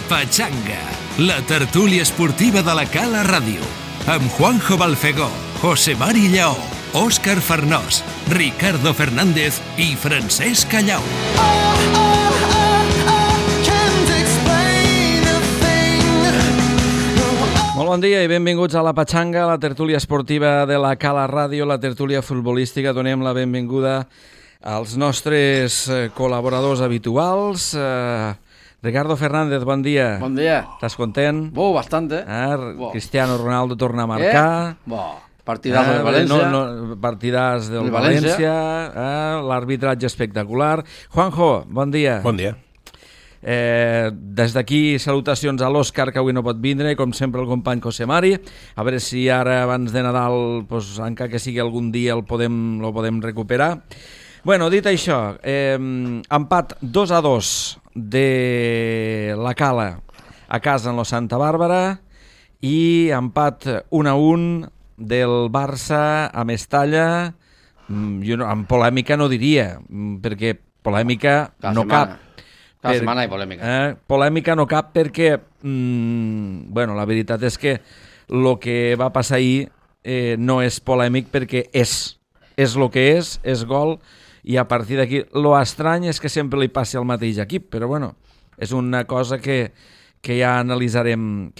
Pachanga, la tertúlia esportiva de la Cala Ràdio, amb Juanjo Balfegó, José Mari Lleó, Òscar Farnós, Ricardo Fernández i Francesc Callau. Molt bon dia i benvinguts a la Pachanga, la tertúlia esportiva de la Cala Ràdio, la tertúlia futbolística. Donem la benvinguda als nostres col·laboradors habituals. Ricardo Fernández, bon dia. Bon dia. Estàs content? Bastante. Cristiano Ronaldo torna a marcar. Partidàs del València. Partidàs del València. L'arbitratge espectacular. Juanjo, bon dia. Bon dia. Des d'aquí salutacions a l'Òscar, que avui no pot vindre, com sempre el company José Mari, a veure si ara abans de Nadal, encara que sigui algun dia, lo podem recuperar. Bueno, dit això, empat 2-2 de la Cala a casa en lo Santa Bàrbara i empat 1-1 del Barça a Mestalla. Amb polèmica no diria, perquè polèmica no cap. Cada setmana hi ha polèmica. Polèmica no cap perquè, la veritat és que el que va passar ahir no és polèmic perquè és el que és gol, i a partir d'aquí, lo estrany és que sempre li passi al mateix equip, però bueno, és una cosa que ja analitzarem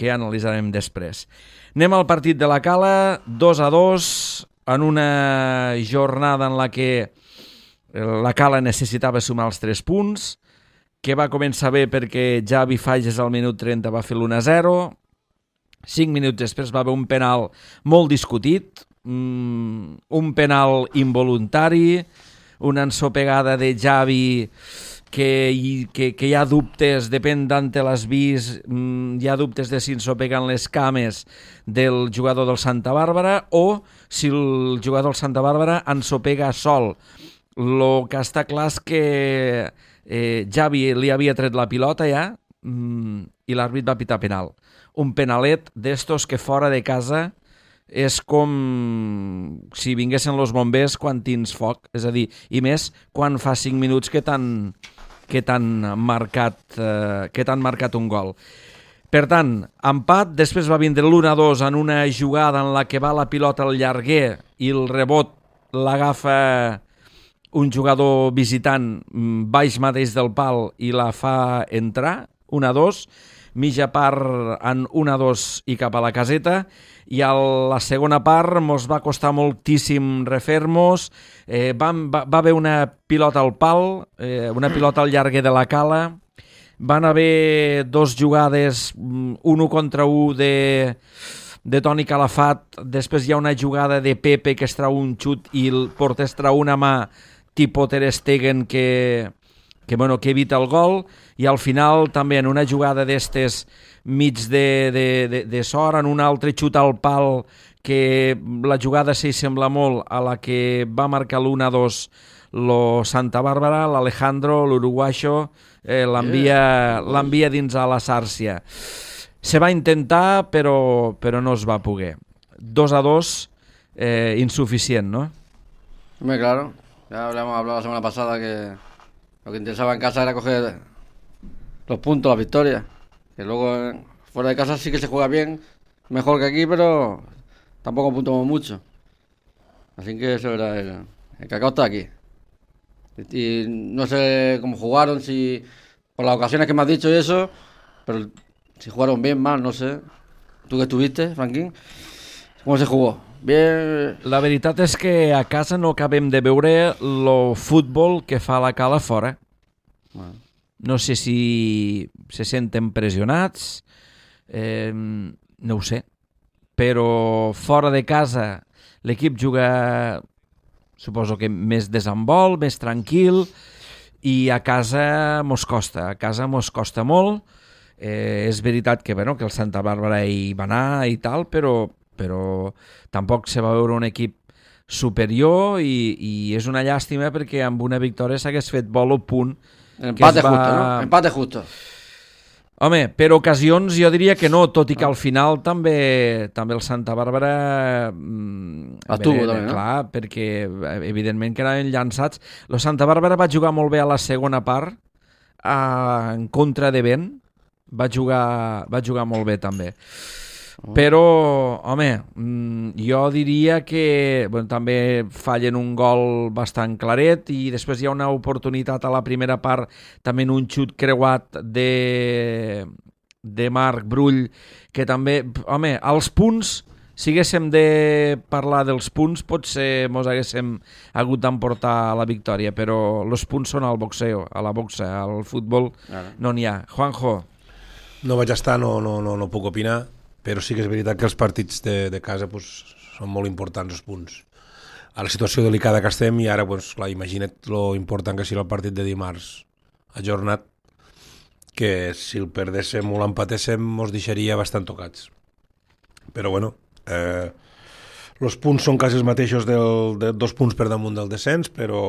després. Anem al partit de la Cala, 2-2, en una jornada en la que la Cala necessitava sumar els 3 punts, que va començar bé perquè Javi Fages al minut 30 va fer l'1-0, 5 minuts després va haver un penal molt discutit, un penal involuntari, una ensopegada de Javi que hi ha dubtes, depèn d'on te l'has vist, hi ha dubtes de si ensopeguen les cames del jugador del Santa Bàrbara o si el jugador del Santa Bàrbara ensopega sol. El que està clar és que Javi li havia tret la pilota ja i l'àrbit va pitar penal. Un penalet d'estos que fora de casa és com si vinguessin los bombers quan tens foc, és a dir, i més quan fa 5 minuts que t'han marcat un gol. Per tant, empat, després va vindre l'1-2 en una jugada en la que va la pilota al llarguer i el rebot l'agafa un jugador visitant baix mateix del pal i la fa entrar, 1-2, mitja part en 1-2 i cap a la caseta, i a la segona part mos va costar moltíssim refer-nos. Va haver una pilota al pal, una pilota al llarguer de la Cala, van haver 2 jugades, 1 contra 1 de Toni Calafat, després hi ha una jugada de Pepe que es trau un xut i el porter es trau una mà tipus Ter Stegen que evita el gol, i al final també en una jugada d'estes mig de sort, en un altre xut al pal, que la jugada s'hi sembla molt a la que va marcar l'1-2 lo Santa Bàrbara, l'Alejandro, l'uruguaixo, l'envia dins a la Sàrcia. Se va intentar, però no es va poder. 2-2, insuficient, ¿no? Hombre, claro. Ya habíamos hablado la semana pasada que lo que interesaba en casa era coger los puntos, las victorias. Que luego fuera de casa sí que se juega bien, mejor que aquí, pero tampoco puntuamos mucho. Así que eso era el cacao está aquí. Y no sé cómo jugaron, si por las ocasiones que me has dicho y eso, pero si jugaron bien, mal, no sé. Tú que estuviste, Franquín, ¿cómo se jugó? Bien. La veritat és que a casa no acabem de veure el futbol que fa la Cala fora. Bueno. No sé si se senten pressionats, no ho sé, però fora de casa l'equip juga, suposo que més desenvol, més tranquil, i a casa mos costa molt. És veritat que el Santa Bàrbara hi va anar i tal, però tampoc se va veure un equip superior, i és una llàstima perquè amb una victòria s'hagués fet vol o punt. Empate justo, ¿no? Empate justo. Home, per ocasions jo diria que no, tot i que al final també el Santa Bàrbara estuvo també, no? Clar, perquè evidentment que anaven llançats. El Santa Bàrbara va jugar molt bé a la segona part, en contra de vent, va jugar molt bé també. Però, home, jo diria que també fallen un gol bastant claret i després hi ha una oportunitat a la primera part, també en un xut creuat de Marc Brull, que també, home, als punts, si haguéssim de parlar dels punts, potser mos haguéssim hagut d'emportar la victòria, però els punts són al boxeo, a la boxa, al futbol no n'hi ha. Juanjo. No vaig estar, no puc opinar, però sí que és veritat que els partits de casa són molt importants, els punts. A la situació delicada que estem, i ara, clar, imagina't lo important que sigui el partit de dimarts ajornat, que si el perdéssim o l'empatéssim mos deixaria bastant tocats. Però bueno, els punts són quasi els mateixos de 2 punts per damunt del descens, però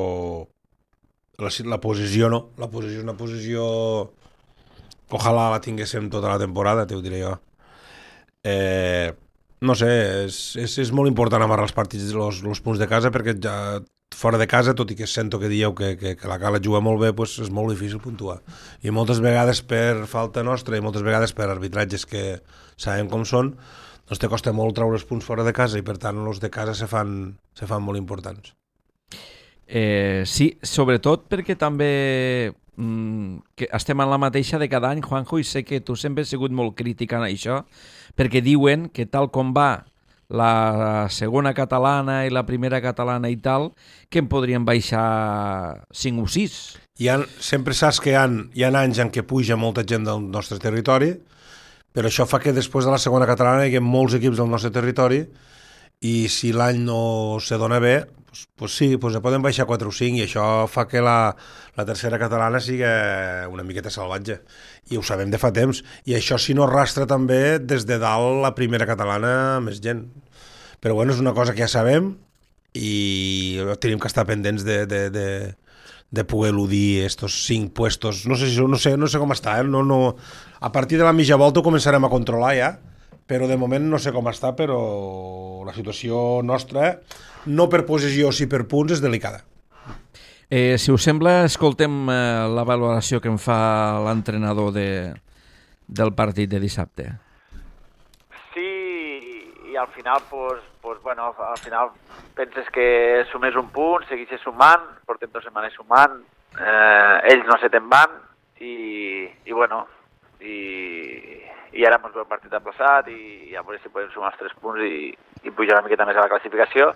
la posició no. La posició és una posició que ojalà la tinguéssim tota la temporada, t'ho diré jo. No sé, és molt important amarrar els partits, els punts de casa, perquè ja fora de casa, tot i que sento que dieu que la Cala juga molt bé, és molt difícil puntuar. I moltes vegades per falta nostra i moltes vegades per arbitratges que sabem com són, doncs te costa molt treure els punts fora de casa i per tant els de casa se fan molt importants. Sí, sobretot perquè també que estem en la mateixa de cada any, Juanjo, i sé que tu sempre has sigut molt crític en això, perquè diuen que tal com va la segona catalana i la primera catalana i tal, que en podrien baixar 5 o 6. Sempre saps que hi ha anys en què puja molta gent del nostre territori, però això fa que després de la segona catalana hi ha molts equips del nostre territori i si l'any no se dona bé, sí, se poden baixar 4 o 5 i això fa que la tercera catalana sigui una miqueta salvatge. I ho sabem de fa temps. I això si no arrastra també des de dalt la primera catalana més gent. Però bueno, és una cosa que ja sabem i tenim que estar pendents de poder eludir estos 5 puestos. No sé com està, a partir de la mitja volta ho començarem a controlar ja, però de moment no sé com està, però la situació nostra, no per posició sí per punts, és delicada. Si us sembla, escoltem la valoració que en fa l'entrenador del partit de dissabte. Sí, i al final, al final penses que sumés un punt, segueixes sumant, portem 2 setmanes sumant, ells no se te'n van, i ara ens ve el partit aplaçat i a veure si podem sumar els 3 punts i pujar una miqueta més a la classificació,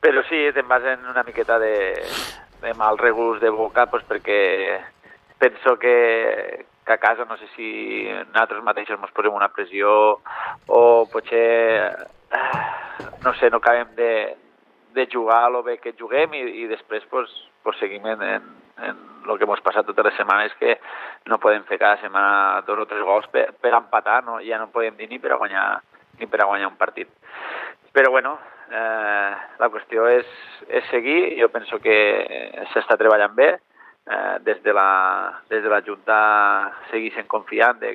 però sí, te'n vas en una miqueta de mal regust de boca, perquè penso que a casa no sé si nosaltres mateixos ens posem una pressió o potser no sé, no acabem de jugar el bé que juguem i després seguim en el que ens passat totes les setmanes, que no podem fer cada setmana 2 o 3 gols per empatar, no? Ja no podem dir ni per a guanyar un partit. Però bueno, la qüestió és seguir. Jo penso que s'està treballant bé, des de la Junta segueixen confiant de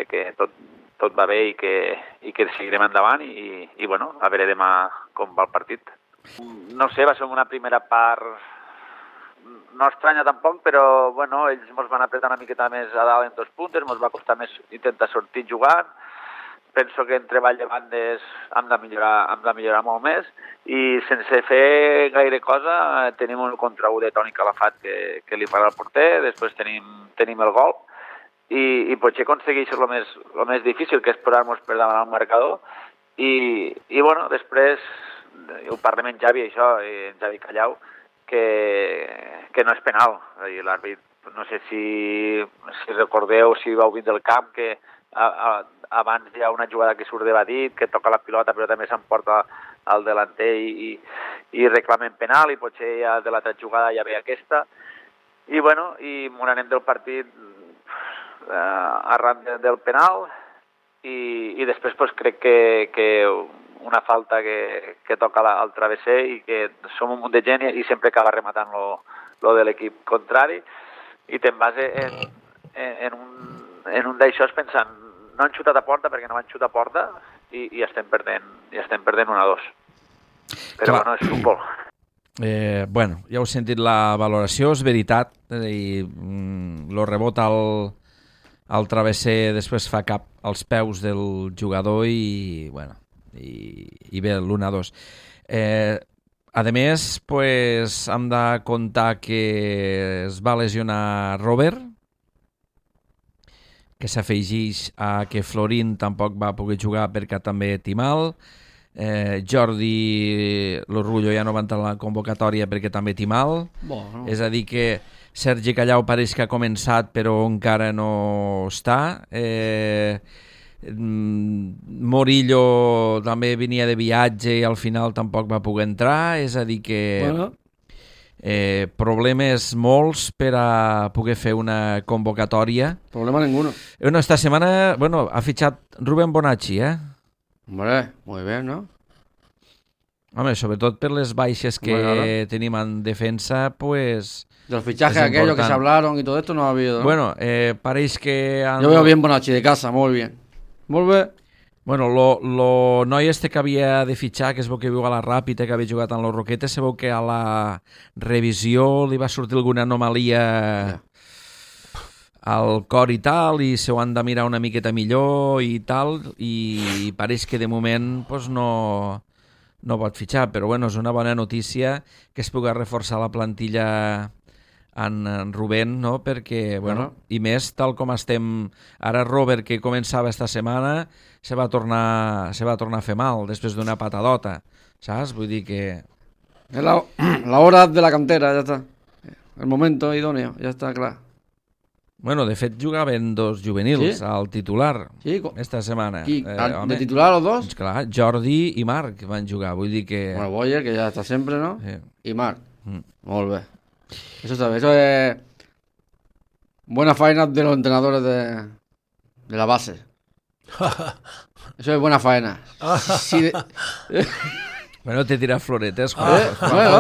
que tot va bé i que seguirem endavant i bueno, a veure demà com va el partit. No sé, va ser una primera part no estranya tampoc, però bueno, ells ens van apretar una miqueta més a dalt en 2 puntes, ens va costar més intentar sortir jugant. Penso que en treball de bandes hem de millorar molt més i sense fer gaire cosa tenim un contra 1 de Toni Calafat que li farà el porter, després tenim el gol i potser aconsegueix el més difícil, que és posar-nos per davant al marcador i bueno, després ho parlem amb Javi, això, en Javi Callau, que no és penal. L'àrbit, no sé si recordeu, si vau vindre del camp, que abans hi ha una jugada que surt de Badit, que toca la pilota però també s'emporta al delanter i reclamen penal i potser ja de l'altra jugada ja ve aquesta. I bueno, i m'ho anem del partit arran del penal i després crec que una falta que toca al travesser i que som un munt de gent i sempre acaba rematant lo de l'equip contrari i te'n vas en un d'això pensant no han xutat a porta perquè no van xutar a porta i estem perdent 1-2. Però bueno, és futbol. Bueno, ja heu sentit la valoració, és veritat, el rebot el travesser després fa cap als peus del jugador i ve l'1-2. A més, pues, hem de comptar que es va lesionar Robert, que s'afegeix a que Florín tampoc va poder jugar perquè també té mal. Jordi Lorrullo ja no va entrar a la convocatòria perquè també té mal. Bueno. És a dir que Sergi Callau pareix que ha començat però encara no està. Morillo també venia de viatge i al final tampoc va poder entrar. És a dir que problemes molts per a poder fer una convocatòria. Problema ninguno. Esta setmana ha fitxat Rubén Bonacci, Hombre, muy bien, ¿no? Home, sobretot per les baixes que tenim en defensa, pues... De los fichajes aquellos que se hablaron y todo esto no ha habido, ¿no? Bueno, pareix que... Yo veo bien Bonacci de casa, muy bien. Molt bé. Bueno, lo noi que havia de fitxar, que es veu que viu a la Ràpita, que havia jugat en los Roquetes, se veu que a la revisió li va sortir alguna anomalia al cor i tal, i se ho han de mirar una miqueta millor i tal, i pareix que de moment pues, no pot fitxar, però bueno, és una bona notícia que es pugui reforçar la plantilla en Rubén, no? Perquè, bueno, i més, tal com estem ara, Robert, que començava esta setmana, se va tornar a fer mal després d'una patadota, saps? Vull dir que... Es la hora de la cantera, ya está. El momento idóneo, ya está claro. Bueno, de fet jugaven dos juvenils al titular esta setmana. ¿De titular los dos? Clar, Jordi i Marc van jugar, vull dir que... Bueno, Boyer, que ya está siempre, ¿no? Sí. Y Marc. Molt bé. Eso está bien, eso es buena faena de los entrenadores de la base. Eso es buena faena. Bueno, te tira floretes, Juan.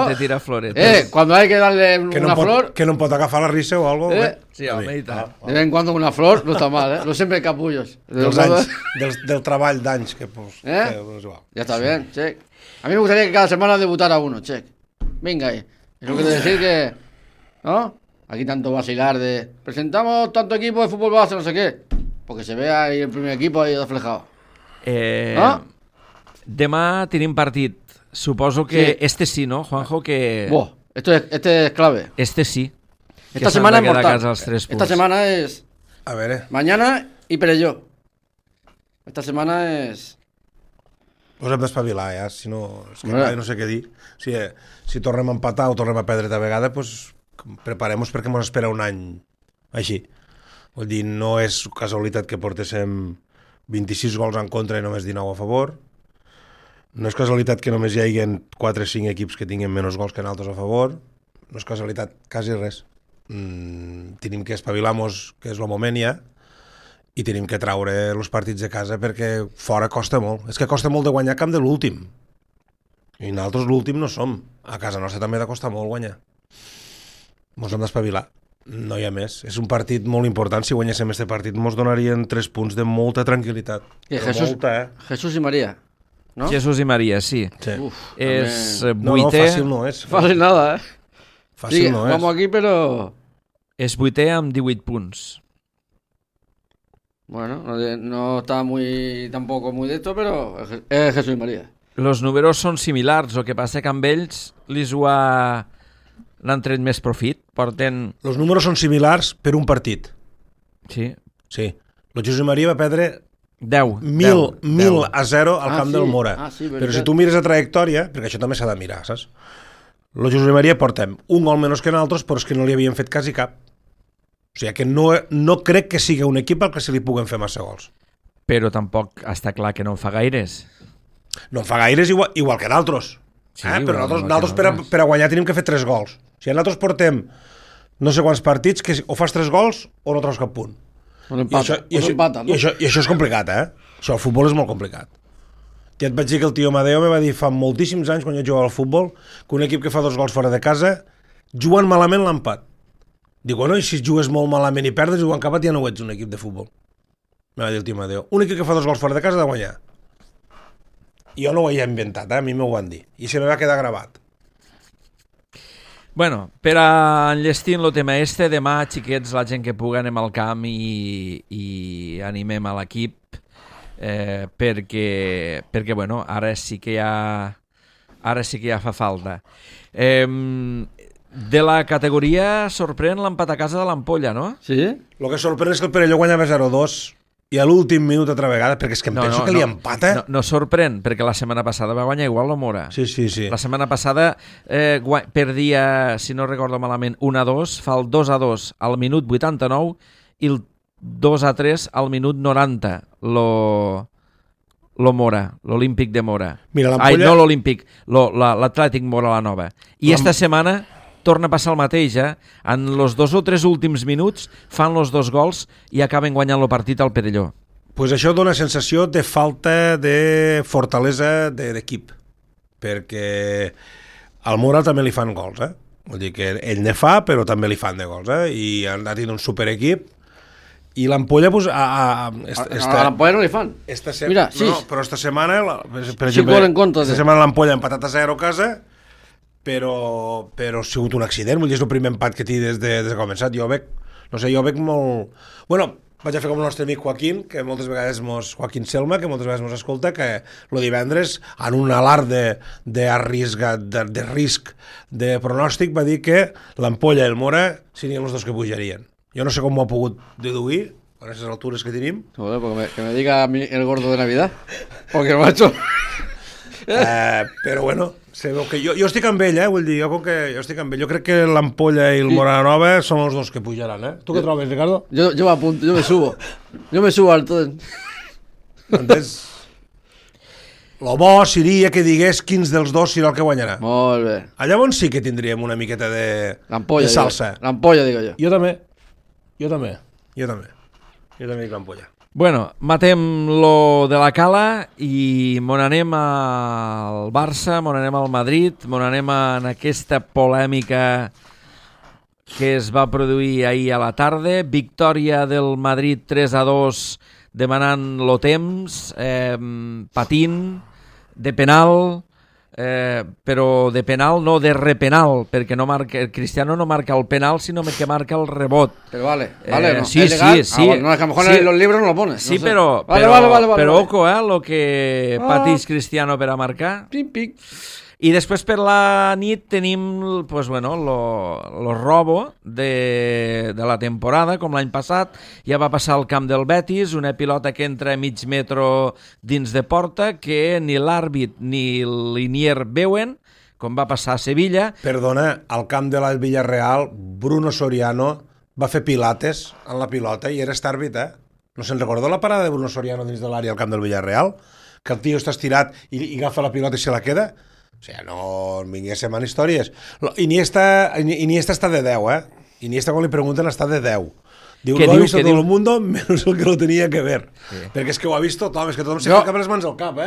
Te tira floretes. Cuando hay que darle una flor... Que no em pot agafar la risa o algo. Sí, home, i tant. De vez en cuando una flor no está mal, No siempre capullos. Del treball d'anys. Que, pues, ya está bien, check. A mí me gustaría que cada semana debutara uno, check. Venga ahí. Eso quiere decir que... ¿No? Aquí tanto vacilar de... Presentamos tanto equipo de fútbol base, no sé qué. Porque se vea ahí el primer equipo ahí reflejado. Demà tenim partit. Suposo que sí, ¿no, Juanjo? Que... Este es clave. Sí. Esta semana es mortal. Esta semana es... A ver, Mañana y Perelló. Esta semana es... Pues hem d'espavilar, ja. Si no, és que no sé què dir. Si tornem a empatar o tornem a perdre de vegada, pues preparem-nos perquè ens espera un any així. Vull dir, no és casualitat que portéssim 26 gols en contra i només 19 a favor. No és casualitat que només hi hagi 4 o 5 equips que tinguin menys gols que altres a favor. No és casualitat, quasi res. Tenim que espavilar-nos, que és el moment ja, i tenim que traure els partits de casa perquè fora costa molt. És que costa molt de guanyar camp de l'últim. I nosaltres l'últim no som. A casa nostra també ha de costar molt guanyar. Ens hem d'espavilar. No hi ha més. És un partit molt important. Si guanyéssim aquest partit ens donarien 3 punts de molta tranquil·litat. Jesús i María. ¿No? Jesús i María, sí. Uf, és no, vuitè... fàcil no és. Fàcil nada, Fàcil no és. Vamos aquí, pero... És vuitè amb 18 punts. Bueno, no está tampoco muy de esto, pero es Jesús y María. Los números són similars, el que passa que amb ells l'han tret més profit. Els números són similars per un partit. Sí. El Jesús i María va perdre 1000 a 0 al camp del Mora. Sí, però si tu mires la trajectòria, perquè això també s'ha de mirar, saps? El Jesús i María portem un gol menys que nosaltres, però és que no li havien fet quasi cap. O sigui que no crec que sigui un equip al que se li puguen fer massa gols. Però tampoc està clar que no en fa gaires. No en fa gaires igual que d'altres. Sí, però nosaltres per a guanyar tenim que fer 3 gols. Si nosaltres portem no sé quants partits, que o fas 3 gols o no treus cap punt. I això és complicat, Això al futbol és molt complicat. Ja et vaig dir que el tio Amadeo me va dir fa moltíssims anys, quan jo jugava al futbol, que un equip que fa 2 gols fora de casa juguen malament l'empat. Dic, bueno, i si jugues molt malament i perdes i jugant cap ja no ho ets un equip de futbol. Me va dir el tio Amadeo. Un equip que fa 2 gols fora de casa ha de guanyar. Jo no ho he inventat, a mi m'ho van dir. I se me va quedar gravat. Bueno, per a enllestir el tema demà, xiquets, la gent que pugui anem al camp i animem a l'equip, perquè bueno, ara sí que ja fa falta. De la categoria sorprèn l'empat a casa de l'Ampolla, no? Sí? El que sorprèn és que el Perelló guanyava 0-2 i a l'últim minut altra vegada, perquè és que penso que li empata. No sorprèn, perquè la setmana passada va guanyar igual la Mora. Sí. La setmana passada perdia, si no recordo malament, 1-2, fa el 2-2 al minut 89 i el 2-3 al minut 90, lo Mora, l'Olímpic de Mora. Mira, l'Ampolla... no l'Olímpic, l'Atlètic Mora la Nova. I esta setmana torna a passar el mateix, En els 2 o 3 últims minuts fan els 2 gols i acaben guanyant el partit al Perelló. Pues això dona sensació de falta de fortalesa d'equip, perquè al Mora també li fan gols, Vull dir que ell ne fa, però també li fan de gols, I han anat un superequip. I l'Ampolla, pues... A l'Ampolla no li fan. Mira, però esta setmana, per exemple, esta setmana l'Ampolla ha empatat a 0 a casa, però ha sigut un accident, vull dir, és el primer empat que té des que ha començat. Jo veig molt... Bueno, vaig a fer com el nostre amic Joaquín, que moltes vegades Joaquín Selma, que moltes vegades mos escolta, que el divendres, en un alarm de risc de pronòstic, va dir que l'Ampolla i el Mora serien els dos que pujarien. Jo no sé com m'ho ha pogut deduir, a aquestes altures que tenim. Joder, que me diga a mí el gordo de Navidad, porque el macho... però bueno, sabeu que jo estic amb ell, vull dir, jo estic amb ell. Jo crec que l'Ampolla i el Mora Nova són els dos que pujaran, Tu què trobes, Ricardo? Jo m'apunto, jo me subo al tot. Entens? Lo bo seria que digués quins dels dos serà el que guanyarà. Molt bé. Llavors sí que tindríem una miqueta de salsa. L'Ampolla, digo jo. Jo també dic l'Ampolla. Bueno, matem lo de la Cala i mon anem al Barça, mon anem al Madrid, mon anem en aquesta polèmica que es va produir ahir a la tarda. Victòria del Madrid 3-2 demanant lo temps, patint, de penal, però de penal no de repenal, perquè el Cristiano no marca el penal, sino que marca el rebot. Pero vale, ¿no? Sí. Bueno, no, es que a lo mejor en los libros no lo pones. Sí, no sé. pero Vale. ojo, lo que patís Cristiano per a marcar. Pic. I després per la nit tenim pues, bueno, lo robo de la temporada, com l'any passat. Ja va passar al camp del Betis, una pilota que entra a mig metro dins de porta, que ni l'àrbit ni l'Inier veuen, com va passar a Sevilla. Perdona, al camp de la Villarreal, Bruno Soriano va fer pilates en la pilota i era àrbit, No se'n recorda la parada de Bruno Soriano dins de l'àrea al camp del Villarreal? Que el tio està estirat i agafa la pilota i se la queda? O sigui, no vingui a ser mal històries. Iniesta està de 10, Iniesta, quan li pregunten, està de 10. Diu, lo ha visto todo el mundo, menos el que lo tenía que ver. Sí. Perquè és que ho ha vist tothom, és que tothom se fica les mans al cap,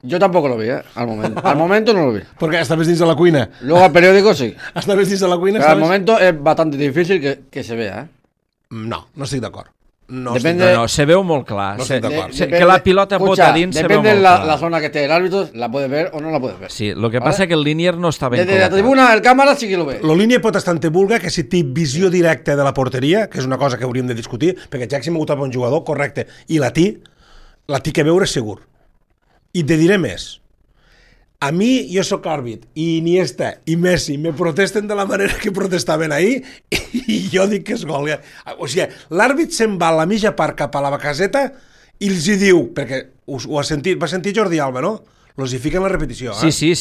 Yo tampoco lo vi, al momento. Al momento no lo vi. Perquè estaves dins de la cuina. Luego al periódico sí. Estaves dins de la cuina. Pero al momento es bastante difícil que se vea, No estic d'acord. No, se veu molt clar. No estic d'acord. Que la pilota bota dins se veu molt clar. Depende de la zona que esté el árbitro, la puedes ver o no la puedes ver. Sí, lo que pasa es que el Linier no està ben col·locat. Desde la tribuna, el cámara sí que lo ve. Lo Linier pot estar en vulga, que si té visió directa de la porteria, que és una cosa que hauríem de discutir, perquè Jackson m'ha gustat un jugador, correcte, i la té que veure segur. I te diré més. A mi, jo sóc àrbit, i Iniesta i Messi me protesten de la manera que protestaven ahir, i jo dic que és gol. O sigui, l'àrbit se'n va a la mitja part cap a la caseta i els hi diu, perquè va sentir Jordi Alba, no? Els hi fiquen la repetició, Sí.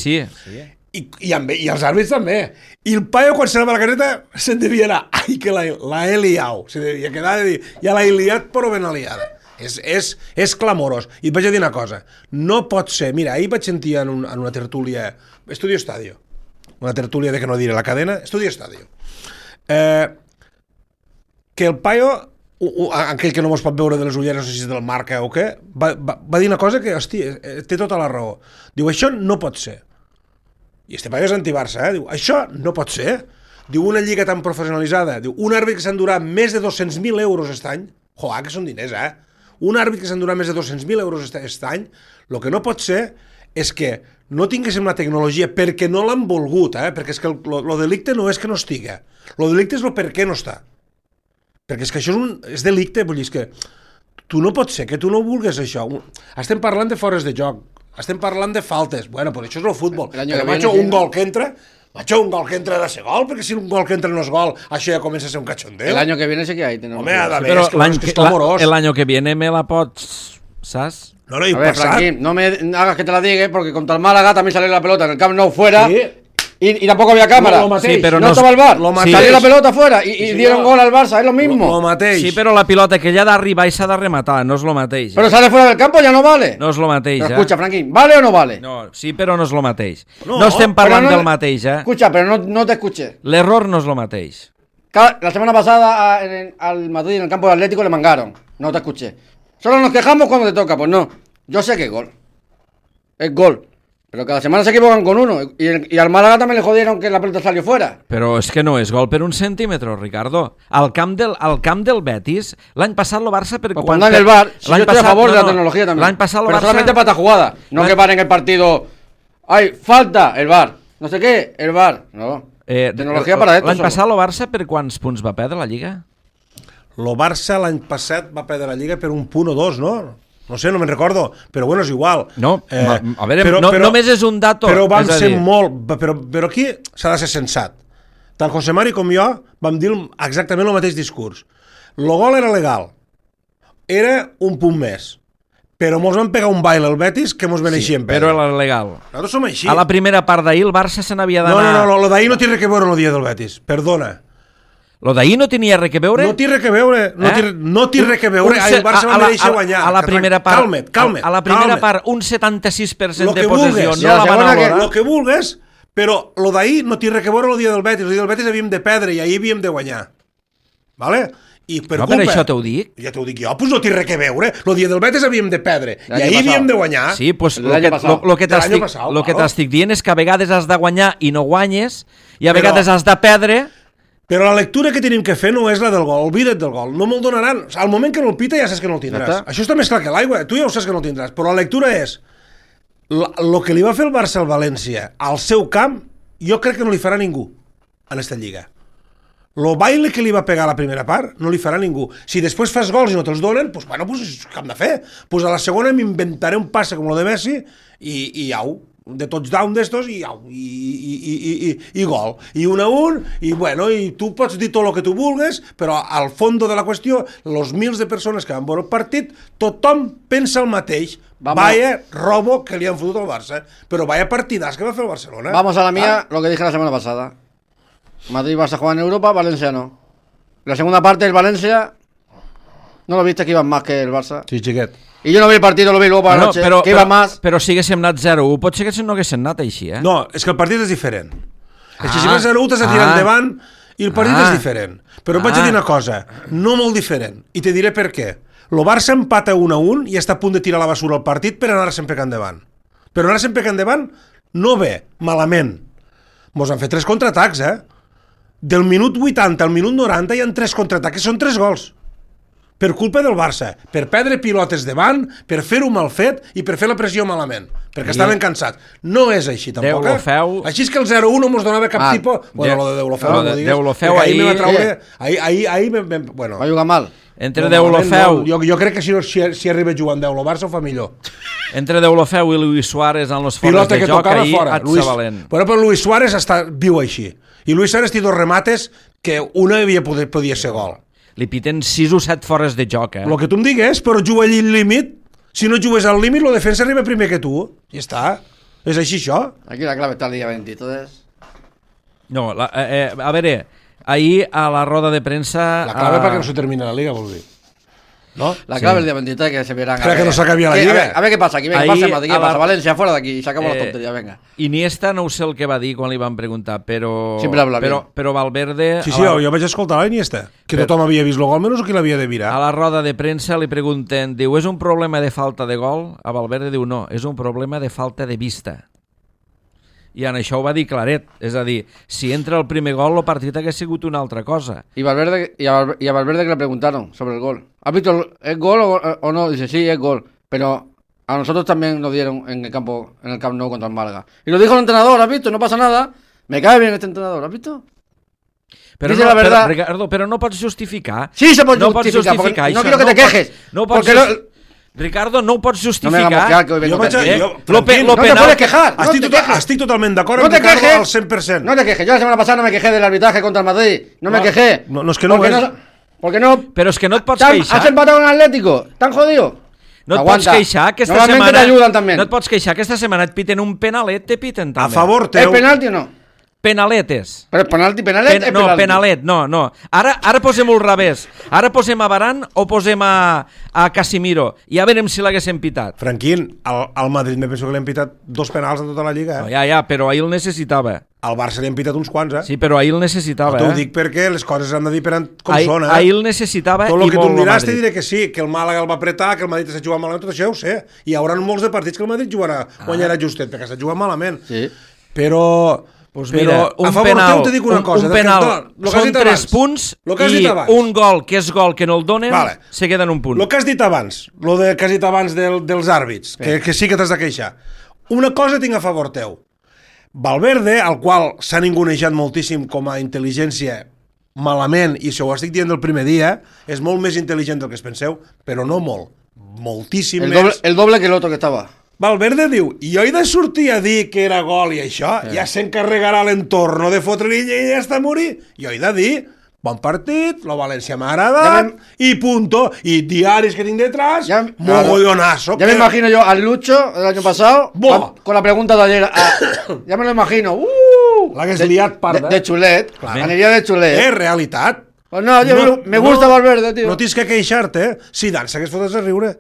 I els àrbits també. I el paio, quan se n'anava a la caseta, se'n devia anar. Ai, que la he liat. Se devia quedar de dir, ja l'he liat, però ben aliada. És clamorós. I et vaig a dir una cosa, no pot ser, mira, ahir vaig sentir en una tertúlia, Estudio Estadio, una tertúlia de que no diré la cadena, Estudio Estadio, que el paio, aquell que no mos pot veure de les ulleres, no sé si és del Marca o què, va dir una cosa que, hòstia, té tota la raó. Diu, això no pot ser. I este paio és anti-Barça, diu, això no pot ser. Diu, una lliga tan professionalitzada, diu, un àrbit que s'endurà més de 200.000 euros aquest any, que són diners, un àrbit que s'endurà més de 200.000 euros aquest any, el que no pot ser és que no tinguéssim la tecnologia perquè no l'han volgut, perquè és que el delicte no és que no estiga, el delicte és el per què no està. Perquè és que això és delicte, vull dir, és que tu no pots ser, que tu no vulguis això. Estem parlant de fores de joc, estem parlant de faltes, bueno, però això és el futbol. Però macho, un gol que entra ha de ser gol, perquè si un gol que entra no és gol, això ja comença a ser un cachondeo. El año que viene sí que hay. Home, ha d'haver, Però és que està amorós. el año que viene me la pots, saps? No, i A ver, passat. Franquín, no me hagas que te la diga, porque contra el Málaga también salió la pelota en el Camp Nou fuera. Sí. Y tampoco había cámara. Lo mateix. Sí, pero no no- estaba el VAR. lo mateix. Salió la pelota fuera y Sí, dieron no. gol al Barça, es lo mismo. Lo mateix. Sí, però la pilota que ja ha d'arribar i s'ha de rematar, no és lo mateix. Pero sale fuera del campo, ya no vale. No és lo mateix, Pero escucha, Franquín, ¿vale o no vale? No, sí, però no és lo mateix. No, No estem parlant Pero no- del mateix, Escucha, pero no te escuché. L'error no és lo mateix. La semana pasada al Madrid en el campo del Atlético le mangaron. No te escuché. Solo nos quejamos cuando te toca. Pues no. Yo sé que es gol. Es gol. Pero cada semana se equivocan con uno. Y al Málaga también le jodieron que la pelota salió fuera. Però és que no és gol per un centímetre, Ricardo. Al camp del Betis, l'any passat el Barça... Pues cuando en el VAR, si yo estoy a favor de la tecnología también. L'any passat el pero Barça... solamente para esta jugada. No que paren el partido. ¡Ay, falta! El VAR. No sé qué, el VAR. No. Tecnología para esto. L'any solo. passat el Barça per quants punts va perdre la Lliga? El Barça l'any passat va perdre la Lliga per un punt o dos, no? No sé, no me'n recordo, però bueno, és igual. No, a veure, només és un dato. Però vam és a ser dir, molt... Però aquí s'ha de ser sensat. Tant José Mari com jo vam dir exactament el mateix discurs. El gol era legal. Era un punt més. Però mos van pegar un baile al Betis que mos beneixien però era legal. Nosaltres som així. A la primera part d'ahir el Barça se n'havia No, d'anar... no, lo d'ahir no té res que veure amb el dia del Betis. Perdona. Lo d'ahir no tenia res que veure? No té res que veure. No té res que veure. El Barça va mereixer guanyar. A la primera part... Calma't. A la primera part, un 76% de possessió. Vulgues, No la van valorar. lo que vulgues, però lo d'ahir no té res que veure amb el dia del Betis. El dia del Betis havíem de perdre i ahir havíem de guanyar. Vale? I per No, culpa... per això t'ho dic. Ja t'ho dic jo, doncs no té res que veure. El dia del Betis havíem de perdre i L'any ahir passat. havíem de guanyar. Sí, pues L'any passat. lo que L'any passat, claro. t'estic dient és que a vegades has de guanyar i no guanyes, i a Però- vegades has de perdre... Però la lectura que tenim que fer no és la del gol, olvida't del gol, no me'l donaran. Al moment que no el pita ja saps que no el tindràs. Ja està. Això està més clar que l'aigua, tu ja ho saps que no el tindràs, però la lectura és el que li va fer el Barça al València al seu camp, jo crec que no li farà ningú en esta lliga. Lo baile que li va pegar a la primera part no li farà ningú. Si després fas gols i no te'ls donen, doncs bueno, pues, què hem de fer? Pues a la segona m'inventaré un passe com el de Messi i au, de touchdown d'estos i au, i gol. I 1-1, i bueno, i tu pots dir tot el que tu vulgues, però al fons de la qüestió, els mils de persones que van veure el partit, tothom pensa el mateix. Vaya robo que li han fotut al Barça, però vaya partidàs que va fer el Barcelona. Vamos a la mía, lo que dije la semana pasada. Madrid y Barça juegan en Europa, Valencia no. La segunda parte del Valencia, ¿no lo viste que iban más que el Barça? Sí, xiquet. Y yo no vi el partido, lo vi luego por la noche, que iban más. Però si haguéssim anat 0-1, pot ser que no haguéssim anat així, eh? No, és que el partit és diferent. És que si vas 0-1 t'has de tirar endavant i el partit és diferent. Però et vaig a dir una cosa, no molt diferent, i te diré per què. El Barça empata 1-1 i està a punt de tirar a la basura el partit per anar sempre endavant. Però anar sempre endavant no ve, malament. Mos han fet 3 contraatacs, Del minut 80 al minut 90 hi ha 3 contraatacs, que són 3 gols. Per culpa del Barça, per perdre pilotes davant, per fer-ho mal fet i per fer la pressió malament, perquè estaven cansats. No és així, tampoc. Deulofeu... Així és que el 0-1 no mos donava cap tipus... Bueno, lo de Deulofeu, no digues. Deulofeu ahir... me va traure... Ahir bueno... Va jugar mal. Entre Deulofeu... Jo crec que si arriba jugant Deulofeu, Barça ho fa millor. Entre Deulofeu i Luis Suárez en los fores de joc, ahir et valent. Bueno, però Luis Suárez viu així. I Luis Suárez té 2 remates que una podia ser gol. Li piten 6 o 7 fores de joc, El que tu em digues, però juga allí al límit. Si no jugues al límit, la defensa arriba primer que tu. I està. És així, això. Aquí la clave está el día 20, entonces... No, a veure, ahir a la roda de premsa... La clave perquè no se termina la Liga, vol dir. ¿No? La clave el día 23 que se verán. Espera que no se acabe la Liga. A ver qué pasa aquí. Venga, Ahí, pasa Madrid, a ¿qué pasa? la- Valencia, fuera de aquí. Y sacamos la tontería, venga. Iniesta no ho sé el que va dir quan li van preguntar, però... Sempre habla bien. Però Valverde... Sí, jo vaig escoltar l'Iniesta, que tothom havia vist el gol, menys qui l'havia de mirar. A la roda de premsa li pregunten, diu, és un problema de falta de gol? A Valverde diu, no, és un problema de falta de vista. I en això ho va dir claret, és a dir, si entra el primer gol, el partit hagués sigut una altra cosa. Y Valverde, y a Valverde que le preguntaron sobre el gol. ¿Has visto el gol o no? Dice, sí, es gol. Pero A nosotros también nos dieron en el Camp Nou contra el Málaga. Y lo dijo el entrenador, ¿has visto? No pasa nada. Me cae bien este entrenador, ¿has visto? Però Dice no, la verdad. Ricardo, però no pots justificar. Sí, se pot no pots justificar, justificar no això. quiero que te quejes. No pots porque Ricardo, no ho pots No me hagas justificar. mosquear, que hoy vengo Jo vaig a... tranquilo. Jo, Lo Franquín, No te puedes quejar. No te quejes. estic totalment d'acord No amb te Ricardo quejes. al 100%. No te quejes. Yo la semana pasada no me quejé del arbitraje contra el Madrid. No me quejé. No, és que no Porque és. porque no. Però és que no et pots ¿Has queixar. empatado con el Atlético? ¿Tan jodido? No et Aguanta. pots queixar aquesta Normalmente setmana. te ayudan también. No et pots queixar aquesta setmana et piten un penalet, te piten també. A favor ¿Es teu... penalti o no? Penaletes. Pero es penalti, penalti. es No, penalti. penalet, no. Ara posem-ho al revés. Ara posem a Varane o posem a Casimiro. I ja veurem si l'haguéssim pitat. Franquín, al Madrid me penso que li han pitat 2 penals en tota la Lliga. No, ja, però ahir el necessitava. Al Barça li han pitat uns quants, Sí, però ahir el necessitava. T'ho dic perquè les coses s'han de dir com són, Ahir el necessitava Tot i el que tu molt em el diràs te Madrid. diré que sí, que el Màlaga el va apretar, que el Madrid s'ha jugat malament, tot això ja ho sé. Hi haurà molts de partits que el Madrid guanyarà justet, perquè s'ha jugat malament. Sí. Però... Pues mira, a un favor penal, teu te dic una cosa. un penal Lo que has són dit 3 abans. punts Lo que has i dit abans. un gol que és gol que no el donen, Vale. se queda en un punt. El que has dit abans, que has dit abans dels àrbits, que sí que t'has de queixar. Una cosa tinc a favor teu. Valverde, al qual s'ha ningunejat moltíssim com a intel·ligència malament, i si ho estic dient del primer dia, és molt més intel·ligent del que es penseu, però no molt, moltíssim més. El doble que el otro que estaba. Valverde diu, i jo he de sortir a dir que era gol i això, ja s'encarregarà l'entorno de fotre-li i ja està a morir. Jo he de dir, bon partit, la València m'ha agradat, i punto. I diaris que tinc detrás, mogollonazo. Ya me imagino yo al Lucho el año pasado con la pregunta de ayer. Ya me lo imagino. L'hagués liat parda. De xulet. Aniria de xulet. És realitat. Pues no, yo me gusta Valverde, tío. No tens que queixar-te. Zidane s'hagués fotut a riure.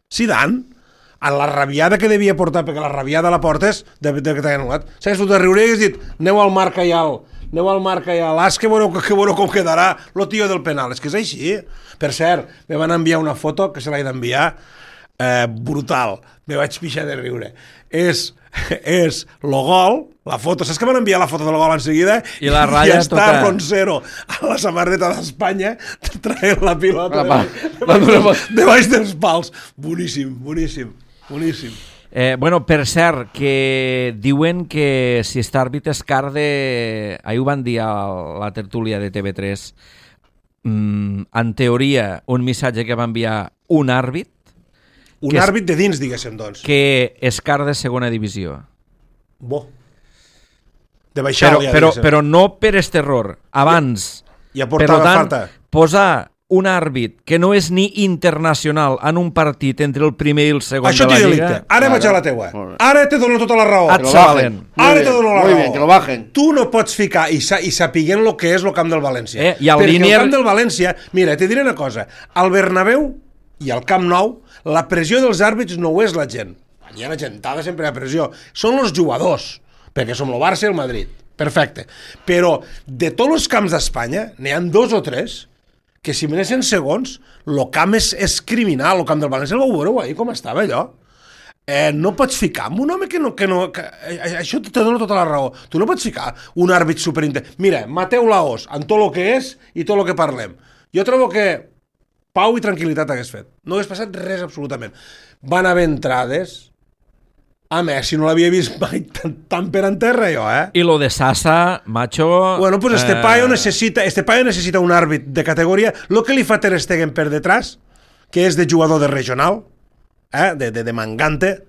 Zidane, en la rabiada que devia portar, perquè la rabiada la portes de que t'ha anul·lat, s'hagués fotut a riure i hagués dit, aneu al Marca i al l'as, que veureu com quedarà lo tio del penal. És que és així. Per cert, me van enviar una foto que se l'he d'enviar brutal. Me vaig pixar de riure. És lo gol, la foto, saps que van enviar la foto del gol en seguida? I la ratlla està tota... Roncero a la samarreta d'Espanya traient la pilota de baix dels pals. Boníssim. Bueno, per cert, que diuen que si està àrbit és car de... Ahir ho van dir a la tertúlia de TV3. En teoria, un missatge que va enviar un àrbit. Un àrbit de dins, diguéssim, doncs. Que és car de segona divisió. Bo. De baixar-li, però no per este error. Abans. Ja portava falta. Posar un àrbit que no és ni internacional en un partit entre el primer i el segon això de la Lliga... Lliga... Ara vaig a la teua. Ara te dono tota la raó. Et salen. Ara te dono la raó. Muy bien, que lo bajen. Tu no pots ficar i sapiguent el que és el camp del València. I el perquè el camp del València... Mira, te diré una cosa. Al Bernabéu i al Camp Nou, la pressió dels àrbits no ho és la gent. Allà la gentada sempre hi ha pressió. Són els jugadors, perquè som el Barça i el Madrid. Perfecte. Però de tots els camps d'Espanya, n'hi ha 2 o 3 que si menessin segons, el camp és criminal. El camp del València el vau veure ahir, com estava allò. No pots ficar amb un home que això te dona tota la raó. Tu no pots ficar un àrbit superintent. Mira, Mateu Laos, en tot el que és i tot el que parlem. Jo trobo que pau i tranquil·litat hagués fet. No hagués passat res absolutament. Van haver entrades... A Messi no l'havia vist mai tan per en terra, jo, I lo de Sasa, macho... Bueno, pues este paio necessita un àrbit de categoria. Lo que li fa Ter Stegen per detrás, que és de jugador de regional, de mangante,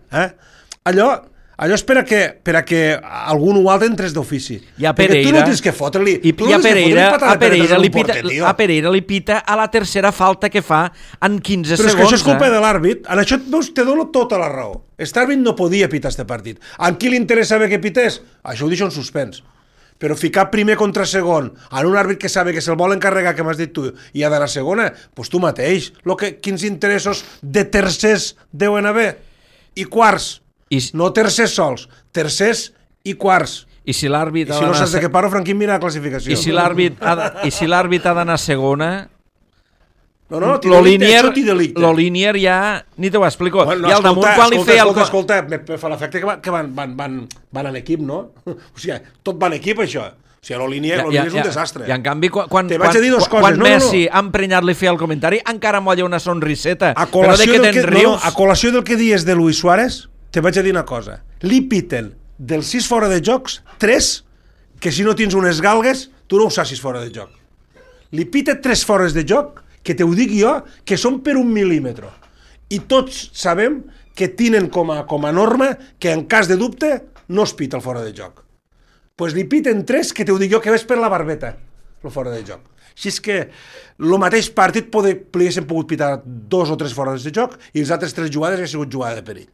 allò és per a que algun o altre entres d'ofici. I a Pereira... Tu no tens que fotre-li... A Pereira li pita a la tercera falta que fa en 15 segons. Però és que això és culpa de l'àrbit. En això te dono tota la raó. Este àrbit no podia pitar este partit. A qui li interessa saber que pités? Això ho deixo en suspens. Però ficar primer contra segon en un àrbit que sabe que se'l vol encarregar, que m'has dit tu, i ha d'anar a segona, doncs tu mateix. Quins interessos de tercers deuen haver? I quarts. No tercers sols, tercers i quarts. I si l'àrbit... I si no saps de què parlo, Franquín, mira la classificació. I si l'àrbit ha d'anar a segona... No, lo Línier ja... Ni te ho explico. Bueno, I al damunt quan li feia... Escolta, me fa l'efecte que van en equip, no? O sigui, tot va en equip, això. O sigui, la línia és un desastre. I en canvi, quan Te vaig a dir dues coses. Quan Messi ha emprenyat-li fer el comentari, encara molla una sonriseta. A Però de què te'n rius? a col·lació del que dies de Luis Suárez, te vaig a dir una cosa. Li piten dels 6 fora de jocs, 3, que si no tens unes galgues, tu no ho saps fora de joc. Li pita 3 fores de joc, que te ho dic jo, que són per 1 mil·límetre. I tots sabem que tenen com a norma que en cas de dubte no es pita el fora de joc. Pues li piten 3, que te ho dic jo, que ves per la barbeta, el fora de joc. Així és que el mateix partit li haguessin pogut pitar 2 o 3 fores de joc i les altres 3 jugades haguessin sigut jugada de perill.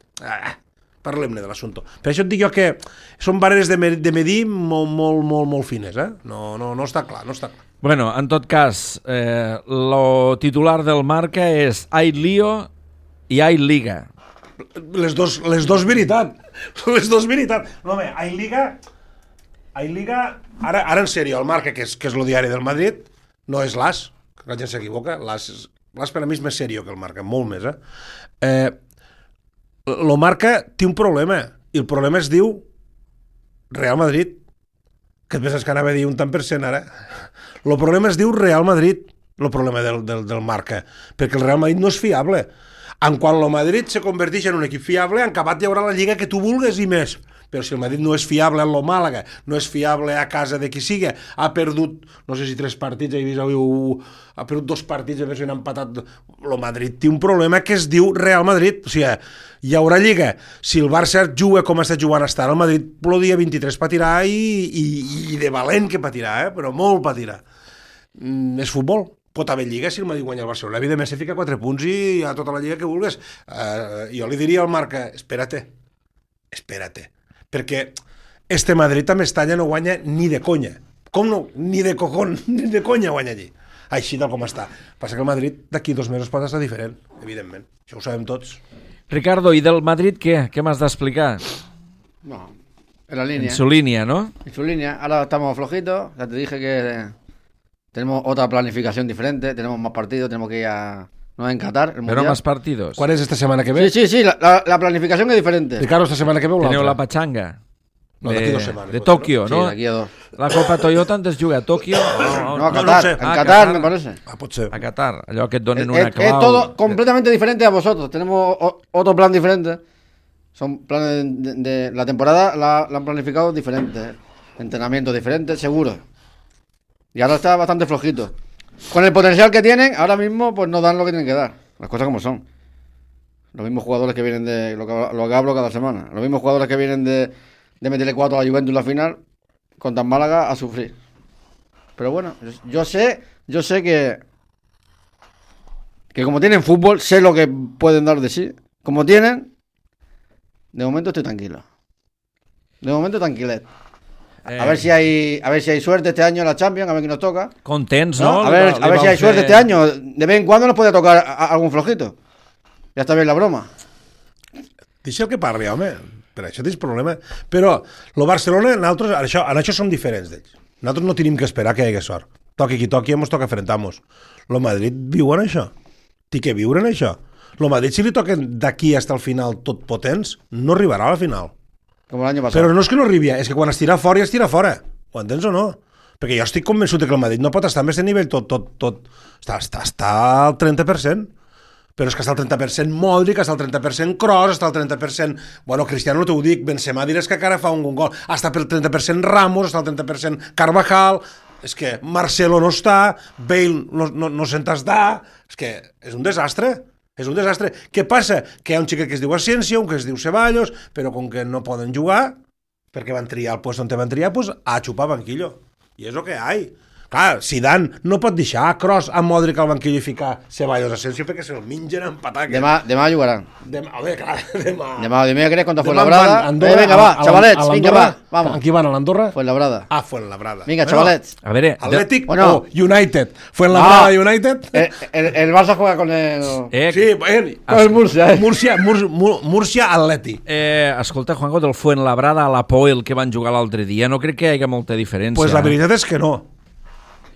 Parlem-ne de l'assumpte. Per això et dic jo que són barreres de medir molt fines, eh? No està clar, no està clar. Bueno, en tot cas, lo titular del Marca és Ai Lío i Ai Liga. Les dos veritat. Les dos veritat. No, home, Ai Liga, ara en sèrio, el Marca, que és el diari del Madrid, no és l'AS, que la gent s'equivoca, l'AS per a mi és més sèrio que el Marca, molt més, el Marca té un problema, i el problema es diu Real Madrid, que et penses que anava a dir un tant per cent ara. El problema es diu Real Madrid, el problema del Marca, perquè el Real Madrid no és fiable. En quan el Madrid se converteix en un equip fiable, en acabat hi haurà la lliga que tu vulgues i més. Però si el Madrid no és fiable en lo Màlaga, no és fiable a casa de qui siga, ha perdut, no sé si 3 partits, ha perdut 2 partits, a veure si han empatat. El Madrid té un problema que es diu Real Madrid. O sigui, hi haurà lliga. Si el Barça juga com està jugant estar, el Madrid el dia 23 patirà i de valent que patirà, però molt patirà. És futbol. Pot haver lliga si el Madrid guanya el Barcelona. Evidentment, se fica 4 punts i a tota la lliga que vulguis. Jo li diria al Marca, espérate. Perquè este Madrid a Mestalla no guanya ni de conya. Com no? Ni de cojón, ni de conya guanya allí. Així tal com està. Passa que el Madrid d'aquí 2 mesos pot estar diferent, evidentment. Això ho sabem tots. Ricardo, ¿y del Madrid qué? ¿Qué más da explicar? No, en la línea. En su línea, ¿no? En su línea. Ahora estamos flojitos. Ya te dije que tenemos otra planificación diferente. Tenemos más partidos. Tenemos que ir a Qatar. Pero más partidos. ¿Cuál es esta semana que ve? Sí. La planificación es diferente. Ricardo, esta semana que ve o Teneu l'altra? la pachanga. No, d'aquí 2 setmanes. De Tokio, Sí, ¿no? de aquí a 2. La Copa Toyota antes juga a Tokio. No, a no Qatar. sé. En Qatar, me parece. Pot ser. A Qatar. Allò que et donen una Es clau. todo completamente diferente a vosotros. Tenemos otro plan diferente. Son planes de la temporada, la han planificado diferente. Entrenamientos diferentes, seguro. Y ahora está bastante flojito. Con el potencial que tienen, ahora mismo pues no dan lo que tienen que dar. Las cosas como son. Los mismos jugadores que vienen de lo que hablo cada semana. Los mismos jugadores que vienen de meterle 4 a la Juventus en la final contra el Málaga a sufrir. Pero bueno, yo sé que como tienen fútbol, sé lo que pueden dar de sí. Como tienen, de momento estoy tranquilo. De momento tranquilet. A ver si hay suerte este año en la Champions, a ver quién nos toca. Contents, no? A ver si hay suerte este año. De vez en cuando nos puede tocar algún flojito. Ja està bé la broma. Deixa el que parli, home. Per això tens problema. Però el Barcelona, nosaltres, en això som diferents d'ells. Nosaltres no tenim que esperar que hi hagi sort. Toqui qui toqui, ens toca enfrentar-nos. El Madrid viu en això. Té que viure en això. El Madrid, si li toquen d'aquí fins al final tot potents, no arribarà a la final. Com l'any passat. Però no és que no arribi, és que quan es tira fora, ja es tira fora. Ho entens o no? Perquè jo estic convençut que el Madrid no pot estar en aquest nivell tot. Està al 30%. Però és que està al 30% Modric, està al 30% Kroos, està al 30%... Bueno, Cristiano no t'ho dic, Benzema diràs que encara fa un gol. Està pel 30% Ramos, està al 30% Carvajal... És que Marcelo no està, Bale no se'n està... És que és un desastre. És un desastre. Què passa? Que hi ha un xiquet que es diu Asensio, un que es diu Ceballos, però com que no poden jugar, perquè van triar el lloc on van triar, pues a xupar banquillo. I és el que hi ha. Clar, Zidane no pot deixar a Kroos, a Modric al banquillo i ficar Ceballos a Asensio perquè se'l mengen en pataques. Demà jugaran. Demà, dimecres contra Fuenlabrada. Vinga, va, xavalets, vinga, va. Vamos. Amb qui van, a l'Andorra? Fuenlabrada. Ah, Fuenlabrada. Vinga, xavalets. A veure... Atlètic Bueno. o United. Fuenlabrada United. El Barça juega con el... Sí, con el Murcia, Murcia Atlètic. Escolta, Juanjo, del Fuenlabrada a l'Apoel que van jugar l'altre dia, no crec que hi hagi molta diferència. Pues la veritat és que no.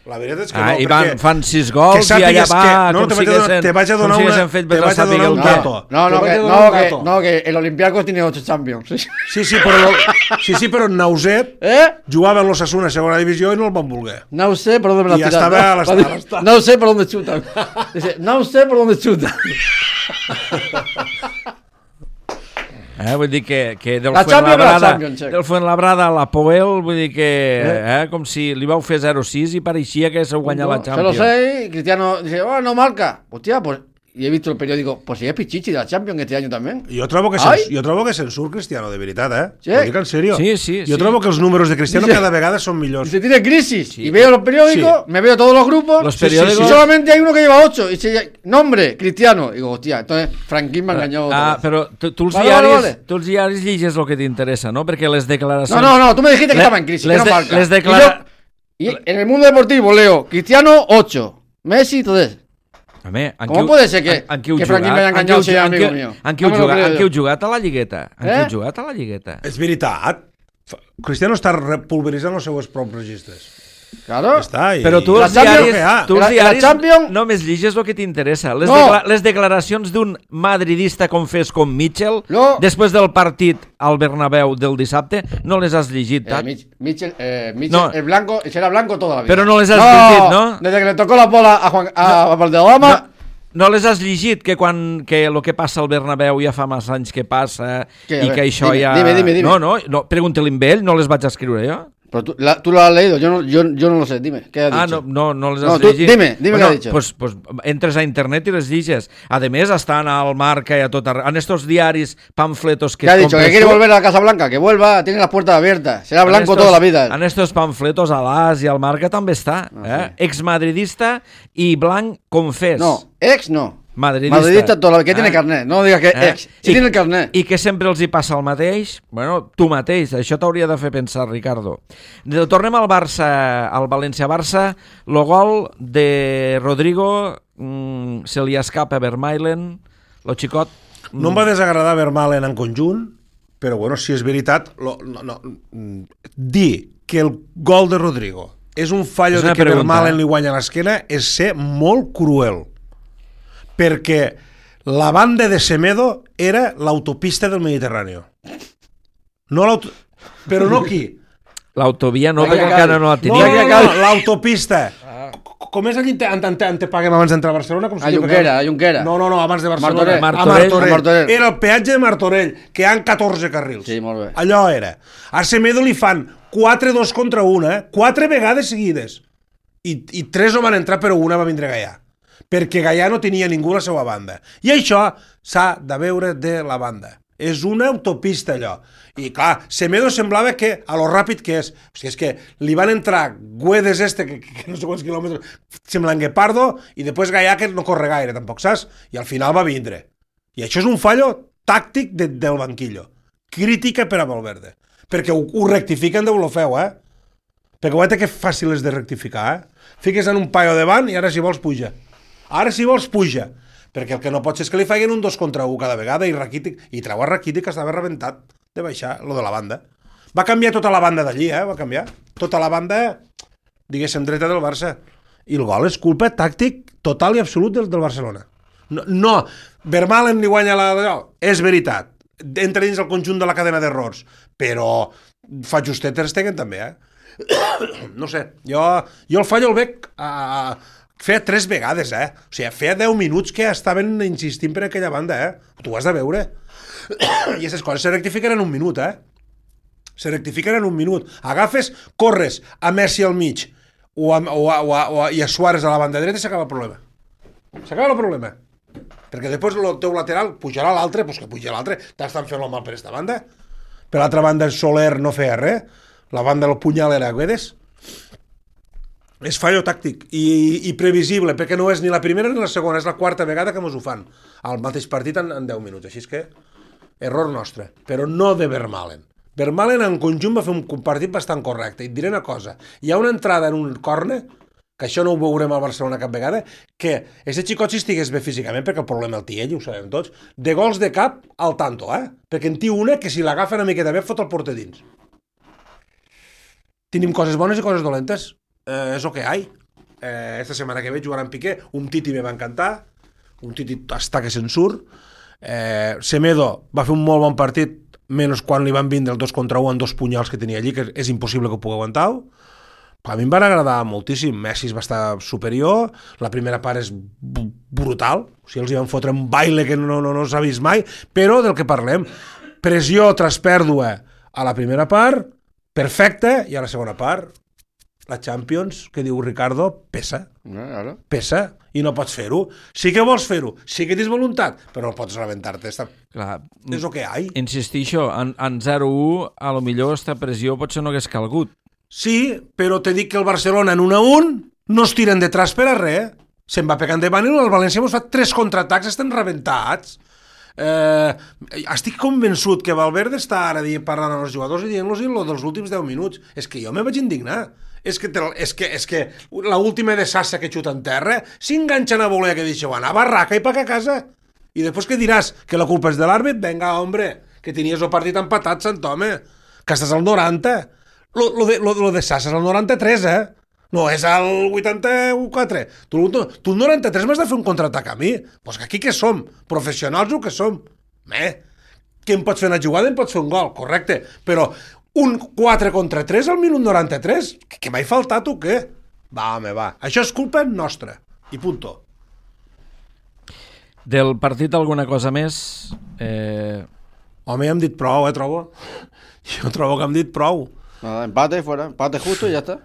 La veritat és que no, I perquè... fan 6 gols i allà va, com siguessin fet te vaig a donar un dato. No, que el Olympiacos tiene 8 Champions. Sí, però Nauset jugava en l'Osasuna a segona divisió i no el van voler. No sé por dónde me la tiran. I estava a l'estat. No sé por dónde chuta. No sé por dónde chuta. Vull dir que del Fuenlabrada a la Poel, vull dir que com si li vau fer 0-6 i pareixia que s'ho guanyat la Champions. Se lo sé, Cristiano dice, no marca. Hostia, pues... Y he visto el periódico, pues si es Pichichi de la Champions este año también. Jo trobo que se'n surt Cristiano, de veritat, Sí. Ho dic en serio. Sí. Jo trobo que els números de Cristiano cada vegada són millors. Dice, tiene crisis. Sí. Y veo los periódicos, me veo todos los grupos. Los periódicos... Y solamente hay uno que lleva 8. Y dice, nombre, Cristiano. Y digo, hostia, entonces Franquín me ha engañado. Però tu els diaris lliges el que t'interessa, no? Perquè les declaracions... No, tú me dijiste que estaba en crisis, que no marca. Y en el mundo deportivo leo, Cristiano 8, Messi 3. ¿Cómo puede ser que Franquín me haya engañado si es amigo mío? En qui heu jugat a la Lligueta? És veritat. Cristiano està pulveritzant els seus propis registres. Claro. Però tu els diaris només lliges el que t'interessa. Les declaracions d'un madridista com fes com Mitchell, després del partit al Bernabéu del dissabte, no les has llegit, Tat? Mitchell es blanco, será blanco toda la vida. Però no les has llegit, no? Desde que le tocó la bola a Valderrama... No les has llegit, que el que passa al Bernabéu ja fa massa anys que passa i que això ja... Dime. No, pregunta-li amb ell, no les vaig escriure jo. Pero tú lo has leído, yo no lo sé, dime, ¿qué has dicho? No les has llegit. Dime qué has dicho. Pues entres a internet i les lliges. A més, estan al Marca i a tot arreu. En estos diaris, panfletos que... ¿Qué ha dicho? ¿Que quiere volver a la Casa Blanca? Que vuelva, tiene las puertas abiertas. Será blanco toda la vida. En estos panfletos, a l'As i al Marca també està. Exmadridista i blanc confés. No, no. Madridista toda la... que tiene carnet, no digas que ex, si tiene el carnet. I que sempre els hi passa el mateix. Bueno, tu mateix, això t'hauria de fer pensar, Ricardo. Tornem al Barça, al València-Barça. El gol de Rodrigo se li escapa a Vermaelen, lo xicot. No em va desagradar Vermaelen en conjunt, però bueno, si és veritat, dir que el gol de Rodrigo és un fallo de que Vermaelen li guanya l'esquena és ser molt cruel. Perquè la banda de Semedo era l'autopista del Mediterrani. Però no aquí. L'autovia no, perquè encara no la tenia. No, l'autopista. Com és allí on te paguem abans d'entrar a Barcelona? A Junquera. No, abans de Barcelona. Martorell. Era el peatge de Martorell, que hi ha 14 carrils. Sí, molt bé. Allò era. A Semedo li fan 4 2 contra 1, 4 vegades seguides. I 3 no van entrar, però una va vindre Gaià. Perquè Gaià no tenia ningú a la seva banda. I això s'ha de veure de la banda. És una autopista, allò. I clar, Semedo semblava que, a lo ràpid que és, o sigui, és que li van entrar Güedes que no sé quants quilòmetres, semblant Guepardo, i després Gaià que no corre gaire, tampoc, saps? I al final va vindre. I això és un fallo tàctic del banquillo. Crítica per a Valverde. Perquè ho rectifiquen de lo feu, Perquè ho que fàcil és de rectificar, Fiques en un paio davant i ara si vols puja. Perquè el que no pot ser és que li facin un 2 contra 1 cada vegada i treu a Rakitic que estava rebentat de baixar, lo de la banda. Va canviar tota la banda d'allí, va canviar. Tota la banda, diguéssim, dreta del Barça. I el gol és culpa tàctic total i absolut del Barcelona. No, Vermaelen li guanya és veritat. Entra dins el conjunt de la cadena d'errors. Però fa justet Ter Stegen també, No sé, jo el fallo el veig feia 3 vegades, O sigui, feia 10 minuts que estaven insistint per aquella banda, Tu ho has de veure. I aquestes coses se rectifiquen en un minut, Se rectifiquen en un minut. Agafes, corres a Messi al mig i a Suárez a la banda dreta i s'acaba el problema. Perquè després el teu lateral pujarà l'altre, doncs que puja l'altre. T'estan fent el mal per aquesta banda. Per l'altra banda, Soler no feia res. La banda del punyal era Güedes. És fallo tàctic i previsible, perquè no és ni la primera ni la segona, és la quarta vegada que mos ho fan al mateix partit en 10 minuts, així és que error nostre, però no de Vermaelen. Vermaelen en conjunt va fer un partit bastant correcte, i et diré una cosa, hi ha una entrada en un córner, que això no ho veurem al Barcelona cap vegada, que aquest xicot si estigués bé físicament, perquè el problema el té ell, ho sabem tots, de gols de cap al tanto, perquè en té una que si l'agafa una miqueta bé fot el porter dins. Tenim coses bones i coses dolentes. És el que hi ha. esta setmana que ve jugarà en Piqué, un Titi me va encantar, un Titi està que se'n surt, Semedo va fer un molt bon partit, menys quan li van vindre el 2 contra 1 amb 2 punyals que tenia allí, que és impossible que ho pugui aguantar. A mi em van agradar moltíssim. Messi va estar superior, la primera part és brutal, o sigui, els hi van fotre un baile que no s'ha vist mai, però del que parlem, pressió tras pèrdua a la primera part, perfecte, i a la segona part, la Champions, que diu Ricardo, pesa. Pesa, i no pots fer-ho. Sí que vols fer-ho, sí que tens voluntat, però no pots rebentar-te. Clar, és el que hi ha. Insistixo, en 0-1, a lo millor esta pressió potser no hagués calgut. Sí, però te dic que el Barcelona en 1-1 no es tiren detrás per a res. Se'n va pegant davant i el València hemos fet 3 contraatacs, estan rebentats. Estic convençut que Valverde està ara parlant amb els jugadors i dient-los lo dels últims 10 minuts. És que jo me vaig indignar. És que l'última de Sassa que xuta en terra s'enganxen a voler que deixeu anar a barraca i paga a casa. I després que diràs que la culpa és de l'àrbit? Venga, hombre, que tenies el partit empatat, Sant Home, que estàs al 90. Lo de Sassa és al 93, no és al 84. Tu al 93 m'has de fer un contraatac a mi. Pues que aquí què som? Professionals o què som? Qui em pots fer una jugada em pots fer un gol, correcte, però un 4 contra 3 al minut 93? Que m'ha faltat o què? Va, home, va. Això és culpa nostra. I punto. Del partit alguna cosa més? Home, ja hem dit prou, trobo. Jo trobo que hem dit prou. Nada, empate fuera, empate justo y ya está.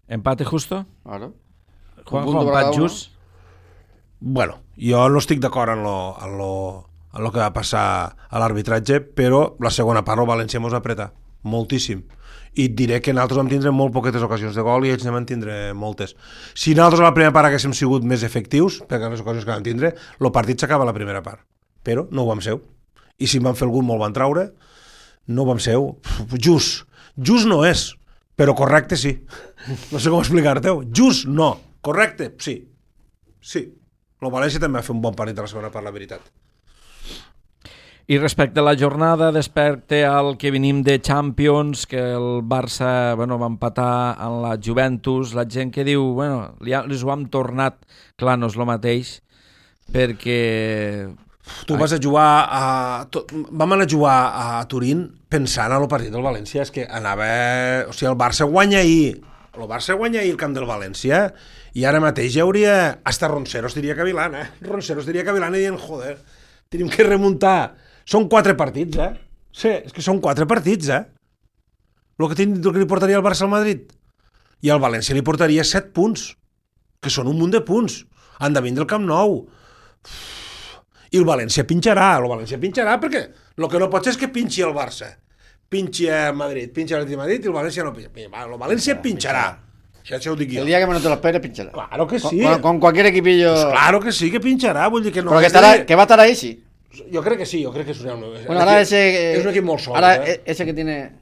¿Empate justo? Claro. Juanjo, empat just? Bueno, jo no estic d'acord en lo que va passar a l'arbitratge, però la segona part el València mos apreta moltíssim. I et diré que nosaltres vam tindre molt poquetes ocasions de gol i ells ne van tindre moltes. Si nosaltres a la primera part haguéssim sigut més efectius, perquè les ocasions que vam tindre, el partit s'acaba a la primera part. Però no ho vam ser. I si en van fer algun molt van traure, no ho vam ser. Just no és, però correcte sí. No sé com explicar-te-ho. Just no, correcte sí. Sí. El València també va fer un bon partit a la segona part, la veritat. I respecte a la jornada, respecte al que venim de Champions, que el Barça va empatar amb la Juventus, la gent que diu, les ho hem tornat, clar, no és el mateix, perquè... Tu vas a jugar vam anar a jugar a Turín pensant en el partit del València, és que anava... O sigui, el Barça guanya ahir el camp del València i ara mateix ja hauria... Hasta Ronceros diria cavilant, Ronceros diria cavilant i dient, joder, tenim que remuntar. Són 4 partits, Sí, és que són 4 partits, El que li portaria el Barça al Madrid. I al València li portaria 7 punts, que són un munt de punts. Han de vindre al Camp Nou. I el València pinxarà perquè el que no pot ser és que pinxi el Barça. Pinxi a Madrid, pinxi a Madrid i el València no pinxa. El València pinxarà. Això ho dic jo. El día que menos te lo esperes, pinchará. Claro que sí. Con cualquier equipillo... Pues claro que sí, que pincharà. Vull dir que no. Però que va a estar ahí, sí. Jo crec que sí, jo crec que és un és un equip molt sòlid. Ahora ese que tiene...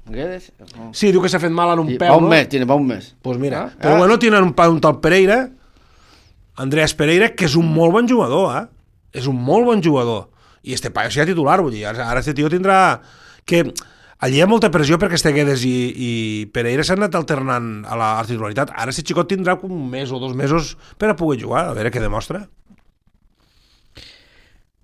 Guedes? No. Sí, diu que s'ha fet mal en un peu, va un mes, tiene un mes. Pues mira, però bueno, tienen un tal Pereira, Andreas Pereira, que és un molt bon jugador, És un molt bon jugador. I este paio serà titular, vull dir, ara este tio tindrà... Que allí hi ha molta pressió perquè este Guedes i Pereira s'han anat alternant a la titularitat. Ara este xicot tindrà un mes o 2 mesos per a poder jugar, a veure què demostra.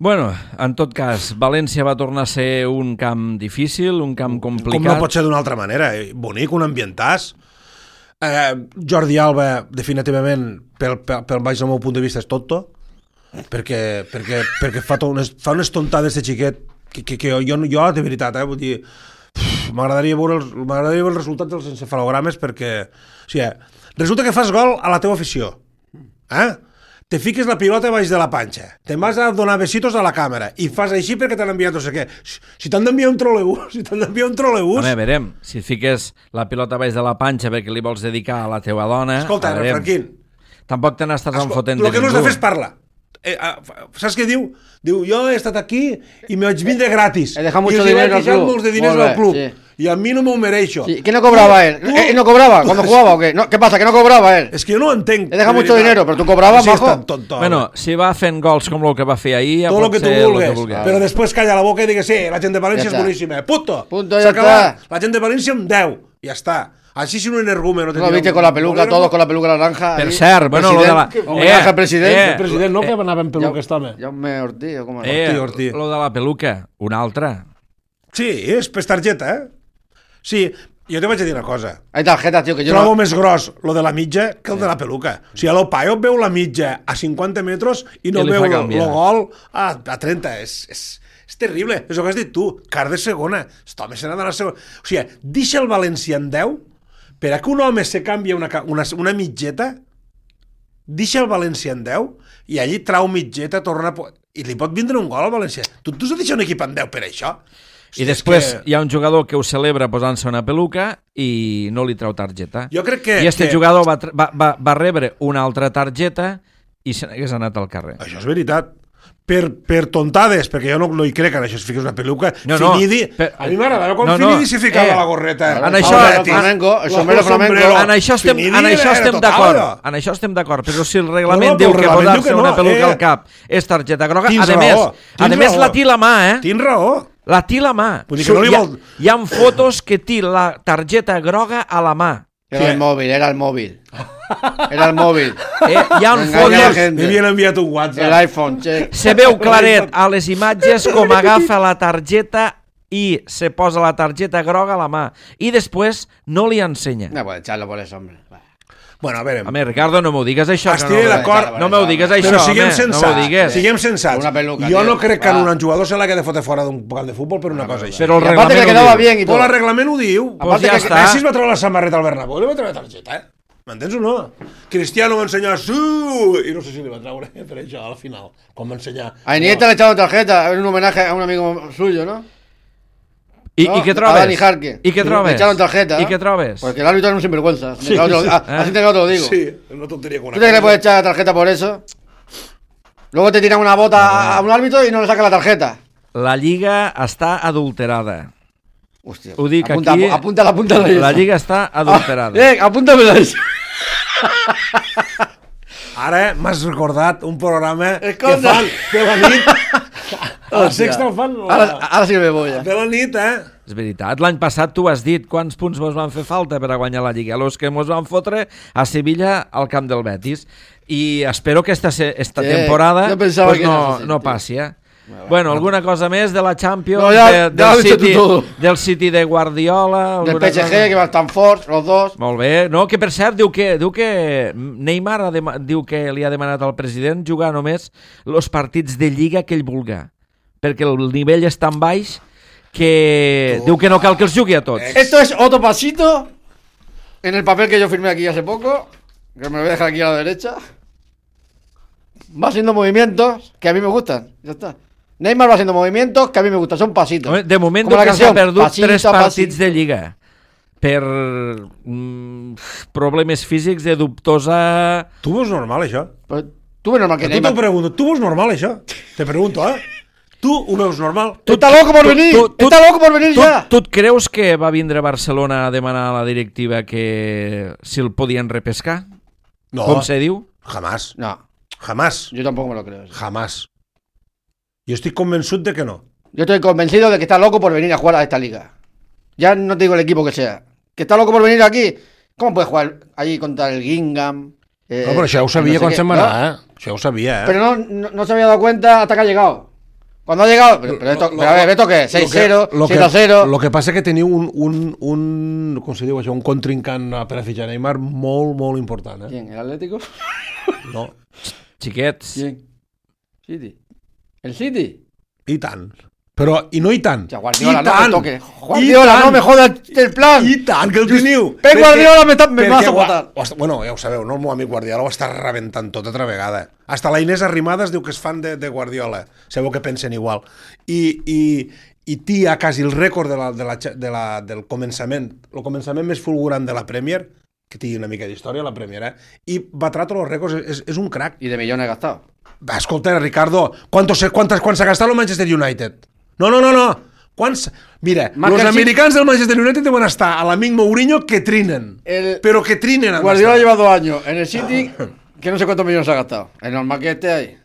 Bueno, en tot cas, València va tornar a ser un camp difícil, un camp complicat. Com no pot ser d'una altra manera, bonic, un ambientàs. Jordi Alba, definitivament, pel baix del meu punt de vista, és tonto, perquè fa unes tontades de xiquet que jo de veritat, vull dir, m'agradaria veure els resultats dels encefalogrames perquè, o sigui, resulta que fas gol a la teva afició, te fiques la pilota baix de la panxa, te'n vas a donar besitos a la càmera i fas així perquè t'han enviat no sé què. Si t'han d'enviar un trolebús... A veure, si fiques la pilota baix de la panxa perquè li vols dedicar a la teva dona... Escolta, Franquín... Tampoc te n'estàs enfotent de ningú. El que no has de fer és parlar. Saps què diu? Diu, jo he estat aquí i me vaig vindre gratis. He dejado mucho dinero al club. Y a mí no me mereixo. Sí, ¿qué no cobraba él? ¿Él no cobraba cuando jugaba o qué? ¿Qué pasa? ¿Que no cobraba él? Es que yo no entenc. He dejado mucho dinero, pero tú cobrabas, majo. Bueno, si va fent gols com el que va fer ahir, tot el que tu vulguis. Però després calla la boca i digues, sí, la gent de València és boníssima. Punto. Ja està. La gent de València amb 10. Ja està. Així si un energúmeno... ¿No lo viste con la peluca, todos con la peluca naranja? Per ahí? cert, bueno, lo de la... Homenaje al presidente. El president no que anava amb peluca, està home. Jaume Ortiz, o com era? Ortí. Lo de la peluca, una altra. Sí, és per targeta, Sí, jo te vaig a dir una cosa. Hay tarjetas, tío, que yo Trobo no... més gros lo de la mitja que el de la peluca. O sigui, a l'Opaio veu la mitja a 50 metres i no I li veu fa el canviar. gol a 30. És terrible. És el que has dit tu. Car de segona. Aquest home se n'ha d'anar a segona. O sigui, deixa el València en 10 per a que un home se canvia una mitgeta, deixa el València en 10 i allí trau mitgeta, torna... I li pot vindre un gol al València. Tu has de deixar un equip en 10 per això? I després hi ha un jugador que ho celebra posant-se una peluca i no li trau targeta. Jo crec que... I este jugador va rebre una altra targeta i se n'hagués anat al carrer. Això és veritat. Per tontades, perquè jo no hi crec en això, si fiques una peluca, No, Finidi... A mi m'agradava quan Finidi s'hi ficava la gorreta. En això... el sombrero flamenco. En això estem d'acord. En això estem d'acord. Però si el reglament diu que posar-se una peluca al cap és targeta groga, a més la té la mà, Tens raó. La té la mà. Hi ha fotos que té la targeta groga a la mà. Era el móvil. Era el móvil. Hi ha fotos... M'havien enviat un WhatsApp. El iPhone, che. Se veu claret a les imatges com agafa la targeta i se posa la targeta groga a la mà. I després no li ensenya. No puede echarlo por eso, hombre. Bueno, a veure... Home, Ricardo, no m'ho digues això. Estic d'acord. No m'ho digues això, però siguem home. sensats. No m'ho digues. Siguem sensats. Una peluca, jo no tío. crec que un jugador se l'ha de fotre fora d'un camp de futbol per una cosa així. Però el Y aparte que le reglament quedaba ho diu. bien y todo. Però el reglament ho diu. Pues ja està. Messi es va treure la samarreta al Bernabéu i li va treure targeta, M'entens o no? Cristiano va ensenyar i no sé si li va treure per això al final, quan va ensenyar... A Iniesta le echaron tarjeta, en un homenaje a un amigo suyo, ¿no? I què trobes? A Dani Jarque. I què trobes? Le echaron tarjeta. I què trobes? Porque el árbitro es un sinvergüenza. Así te lo digo. Sí, és una tonteria con una ¿Tú crees que le puedes echar tarjeta por eso? Luego te tiran una bota a un árbitro y no le sacan la tarjeta. La Lliga està adulterada. Hostia. Ho dic apunta, aquí. Apunta la La Lliga està adulterada. Apúntamela eso. Ara m'has recordat un programa que Escolta. fan de la nit. A la Sexta el fan Ara sí que me voy. de la nit, És veritat. L'any passat tu has dit quants punts mos van fer falta per a guanyar la Lliga. Los que mos van fotre a Sevilla al camp del Betis. I espero que esta temporada jo pensava pues que era así, no tío. passi, Bueno, alguna cosa més de la Champions, No, ya lo has dicho tú todo. del City de Guardiola... Del alguna PSG, cosa? que van tan forts, los dos. Molt bé. No, que per cert, diu que Neymar diu que li ha demanat al president jugar només els partits de Lliga que ell vulga, perquè el nivell és tan baix que diu que no cal que els jugui a tots. Esto es otro pasito en el papel que yo firmé aquí hace poco, que me lo voy a dejar aquí a la derecha. Va haciendo movimientos que a mí me gustan. Ya está. Neymar va haciendo movimientos que a mí me gustan, son pasitos. Home, de moment Com la que s'ha canción, perdut pasito, 3 partits pasito. de Lliga per problemes físics de dubtosa... Tu veus normal, això? Pero tú ves normal que A tu t'ho Neymar... pregunto. Tu veus normal, això? Te pregunto, Tu ho veus normal? ¡Está loco por venir! ¡Está loco por venir ya! Tu et creus que va vindre a Barcelona a demanar a la directiva que si el podien repescar? No. Com se diu? Jamás. No, Jamás. yo tampoco me lo creo. Jamás. Jo estic convençut de que no. Yo estoy convencido de que está loco por venir a jugar a esta liga. Ya no te digo el equipo que sea. Que está loco por venir aquí. ¿Cómo puede jugar allí contra el Gingham? No, però això ho sabia quan se'n va anar, Això ho sabia, Pero no se había dado cuenta hasta que ha llegado. Cuando ha llegado... Pero a ver, ¿esto qué? 6-0, 7-0... Lo que passa que teniu un com se diu això, un contrincant per a fitxar Neymar molt, molt important, ¿Quién? ¿El Atlético? No, Xiquets. ¿Quién? City. ¿El City? i tant. Però, i no i tant. Ya, Guardiola, I no tant. me toque. Guardiola, no me jodas el plan. I tant que el teniu. Pep Guardiola me vas a votar. Bueno, ja ho sabeu, no? El meu amic Guardiola ho està rebentant tot altra vegada. Hasta la Inés Arrimadas diu que és fan de Guardiola. Sabeu que pensen igual. I tia quasi el rècord del començament, el començament més fulgurant de la Premier, que tingui una mica d'història, la Premier, i batra tots els rècords, és un crac. Y de millones gastado. Va, escolta, Ricardo, ¿cuánto se ha gastado el Manchester United? No. Mira, Marca los el americans del Manchester United deuen estar a l'amic Mourinho que trinen. Pero que trinen. Guardiola lleva 2 años en el City, que no sé cuántos millones ha gastado. Es normal que esté ahí.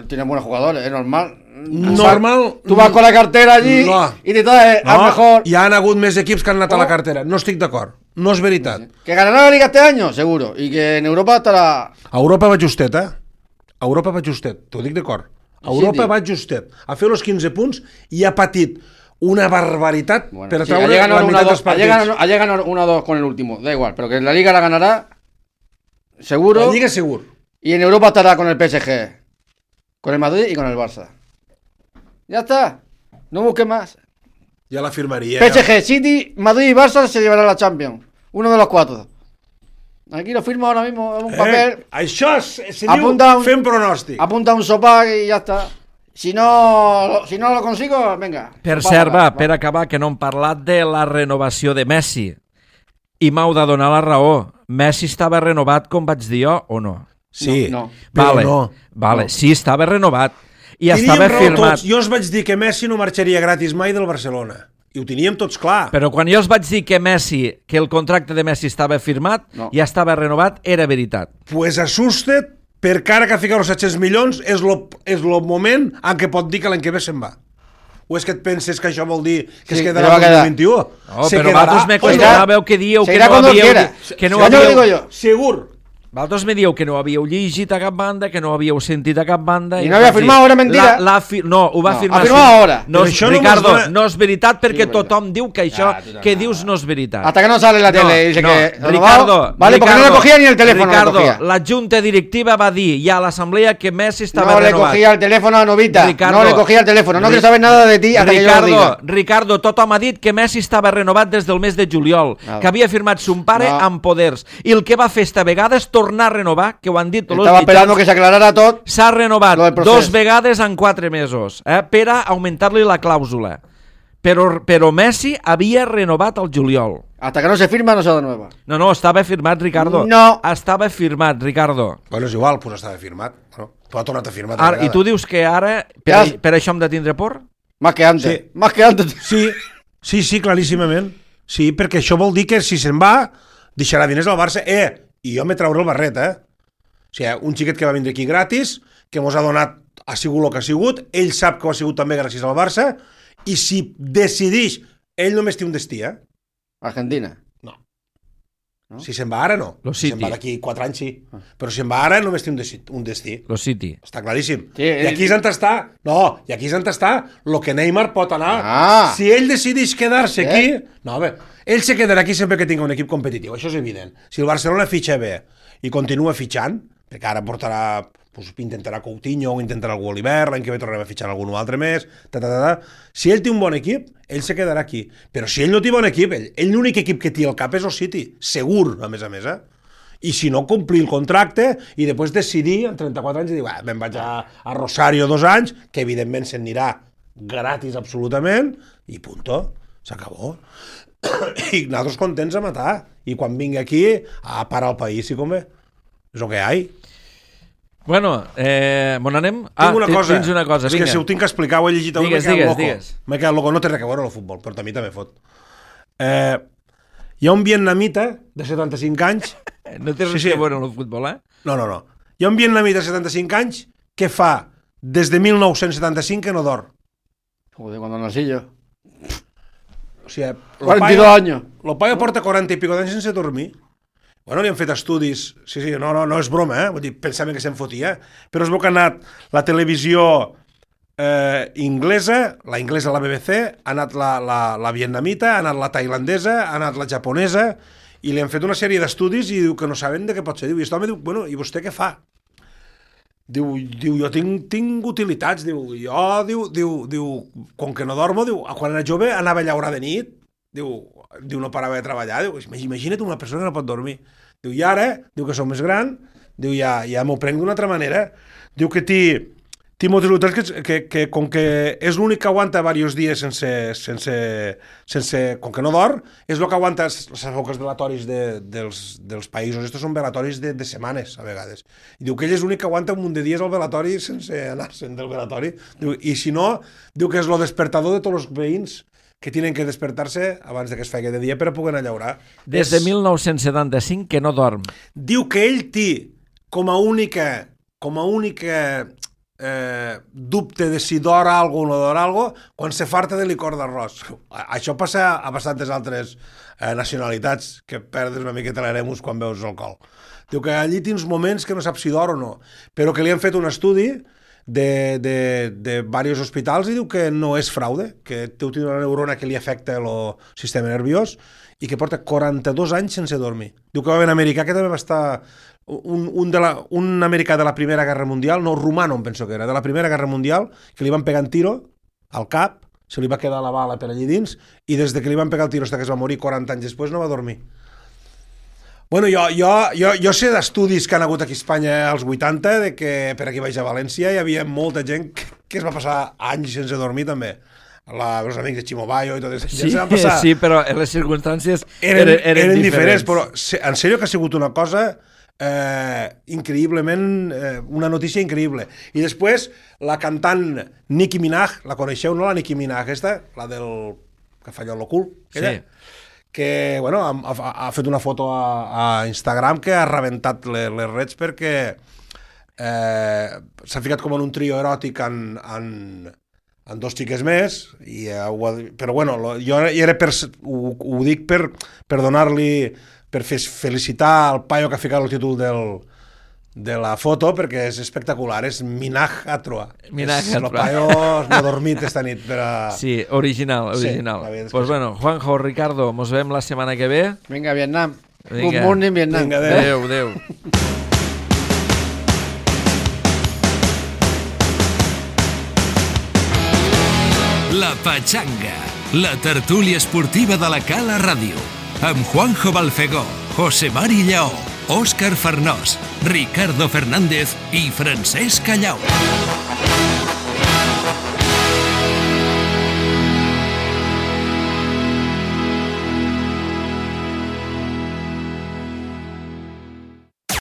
Tiene buenos jugadores, es normal. Normal. Tú vas con la cartera allí No. y te traes al mejor. Hi han hagut més equips que han anat a la cartera. No estic d'acord. No és veritat. Que ganará la Liga este año, seguro. Y que en Europa estará... A Europa va justet, A Europa va justet, t'ho dic d'acord. A Europa Sí, va justet. A fer els 15 punts i ha patit una barbaritat per sí, treure la meitat dels partits. Ayer ganó 1-2 con el último, da igual, pero que la Liga la ganará, seguro. La Lliga segur. Y en Europa estará con el PSG, con el Madrid y con el Barça. Ya está, no busque más. Ja la firmaria. PSG, City, Madrid y Barça se llevará la Champions. Uno de los 4. Aquí lo firmo ahora mismo en un papel. Això se diu Apunta fent pronòstic. Apunta un sopac y ya está. Si no lo consigo, venga. Per sopac, cert, va. per acabar, que no hem parlat de la renovació de Messi. I m'heu de donar la raó. Messi estava renovat, com vaig dir jo, o no? Sí, No. però Vale, no. vale. Sí, estava renovat. I Teníem estava raó firmat. tots. Jo us vaig dir que Messi no marxaria gratis mai del Barcelona. I ho teníem tots clar. Però quan jo us vaig dir que el contracte de Messi estava firmat, No. ja estava renovat, era veritat. Pues assusta't, perquè ara que ha ficat els 700 milions és lo moment en què pot dir que l'any que ve se'n va. O és que et penses que això vol dir que Sí, es que quedarà va el quedar. 2021? No, Se però quedarà. vosaltres me Oiga, qüestionàveu que dieu que seguirá no cuando havíeu... quiera. Que no Ya te lo digo havíeu... yo. Segur. Vosaltres me dieu que no havíeu llegit a cap banda, que no havíeu sentit a cap banda... I no havia firmat, era mentira. No, ho va No, firmar... ha firmat ahora. No, Però això no Ricardo, mos dona- no és veritat perquè Sí, és veritat. tothom diu que això que dius no és veritat. Hasta que no sale en la tele y dice que... Ricardo, Vale, porque no le cogía ni el teléfono. Ricardo, le cogía. la junta directiva va dir ja a l'assemblea que Messi estava No le renovat. cogía el teléfono a Novita. Ricardo, No le cogía el teléfono. No quiero saber nada de ti hasta que yo lo diga. Ricardo, tothom ha dit que Messi estava renovat des del mes de juliol, Nada. que havia firmat son pare No. amb poders. I el que va fer esta vegada és tornar a renovar, que ho han dit tots els Estaba esperando mitjans. que se aclarara todo. S'ha renovat Lo del procés. 2 vegades en 4 mesos per a augmentar-li la clàusula. Però Messi havia renovat el juliol. Hasta que no se firma, no se renueva. No, estava firmat, Ricardo. No. Estava firmat, Ricardo. Bueno, és igual, pues estava firmat. Bueno, tu ha tornat a firmar. Ara, I tu dius que ara, Ja. per això hem de tindre por? Más que antes. Sí. Más que antes. Sí, claríssimament. Sí, perquè això vol dir que si se'n va, deixarà diners al Barça. I jo me trauré el barret, O sigui, un xiquet que va vindre aquí gratis, que mos ha donat, ha sigut el que ha sigut, ell sap que ho ha sigut també gràcies al Barça, i si decideix, ell només té un destí, Argentina. No. No? Si se'n va ara, no. Lo Si se'n City. va d'aquí 4 anys, sí. Però si se'n va ara, només té un destí. Lo City. Està claríssim. Sí, I aquí és on està... No, i aquí és on està el que Neymar pot anar. Ah. Si ell decideix quedar-se Eh? aquí... No, a veure, ell se quedarà aquí sempre que tingui un equip competitiu, això és evident. Si el Barcelona fitxa bé i continua fitxant, perquè ara portarà... Pues, intentarà Coutinho o intentarà algú a l'hivern, l'any que ve tornarem a fitxar algun altre més, Si ell té un bon equip, ell se quedarà aquí. Però si ell no té bon equip, ell l'únic equip que té al cap és el City, segur, a més, I si no, complir el contracte i després decidir, en 34 anys, i dir, me'n vaig a Rosario 2 anys, que evidentment se'n anirà gratis absolutament, i punto, s'acabó. I nosaltres contents a matar. I quan vingui aquí, a parar el país, si convé. És el que hi ha. Bueno, on anem? Tinc una cosa. Tens una cosa, És vinga. que si ho tinc que explicar, ho he llegit avui, Digues. M'he quedat loco. No té res a veure el futbol, però a mi també fot. Hi ha un vietnamita de 75 anys... No té res a veure amb el futbol, No. Hi ha un vietnamita de 75 anys que fa des de 1975 que no dorm. Joder, cuando nací yo. O sigui, 42 años. El paio porta 40 i pico d'anys sense dormir. Bueno, li han fet estudis... Sí, no és broma, Vull dir, pensaven que se'n fotia. Però es veu que ha anat la televisió inglesa, la inglesa la BBC, ha anat la vietnamita, ha anat la tailandesa, ha anat la japonesa, i li han fet una sèrie d'estudis i diu que no saben de què pot ser. Diu, i aquest home diu, bueno, i vostè què fa? Diu, jo tinc utilitats, diu, com que no dormo, diu, quan era jove anava a llaurar de nit, diu, no parava de treballar, diu, imagina't una persona que no pot dormir. Diu, i ara, diu que som més gran, diu, ja m'ho prenc d'una altra manera, diu que té moltes utilitats que com que és l'únic que aguanta diversos dies sense com que no dorm, és el que aguanta les èpoques velatoris dels països. Estos són velatoris de setmanes, a vegades. I diu que ell és l'únic que aguanta un munt de dies al velatori sense anar-se'n del velatori. Diu, i si no, diu que és el despertador de tots els veïns que tenen que despertar-se abans que es faci de dia per a poder anar a llaurar. Des de 1975 que no dorm. Diu que ell té com a única dubte de si d'or algo o no d'or algo quan se farta de licor d'arròs. Això passa a bastantes altres nacionalitats, que perdes una miqueta l'eremus quan veus alcohol. Diu que allí tens moments que no saps si d'or o no, però que li han fet un estudi de diversos hospitals i diu que no és fraude, que té una neurona que li afecta el sistema nerviós i que porta 42 anys sense dormir. Diu que va haver un americà que també va estar... Un americà de la Primera Guerra Mundial, no, romano em penso que era, de la Primera Guerra Mundial, que li van pegar un tiro al cap, se li va quedar la bala per allí dins, i des que li van pegar el tiro fins que es va morir 40 anys després no va dormir. Bueno, jo sé d'estudis que han hagut aquí a Espanya als 80, de que per aquí baix a València hi havia molta gent que es va passar anys sense dormir també. Els amics de Chimo Bayo i tot això. Sí, sí, però les circumstàncies eren diferents. Però en sèrio que ha sigut una cosa increïblement, una notícia increïble. I després la cantant Nicki Minaj, la coneixeu, no, la Nicki Minaj aquesta, la del que fa allò l'ocult, sí, que bueno, ha fet una foto a Instagram que ha rebentat les redes perquè s'ha ficat com en un trio eròtic en dos xiques més, però bueno, jo ho dic per donar-li, per felicitar el paio que ha ficat el títol de la foto, perquè és espectacular, és Minaj Atroa. Minaj Atroa. El paio no ha dormit esta nit. Sí, original. Sí, pues bueno, Juanjo, Ricardo, mos veiem la setmana que ve. Vinga, Vietnam. Good morning, Vietnam. Vinga, adéu. La Pachanga, la tertúlia esportiva de la Cala Ràdio, amb Juanjo Balfegó, José Mari Lleó, Òscar Farnós, Ricardo Fernández i Francesc Callau.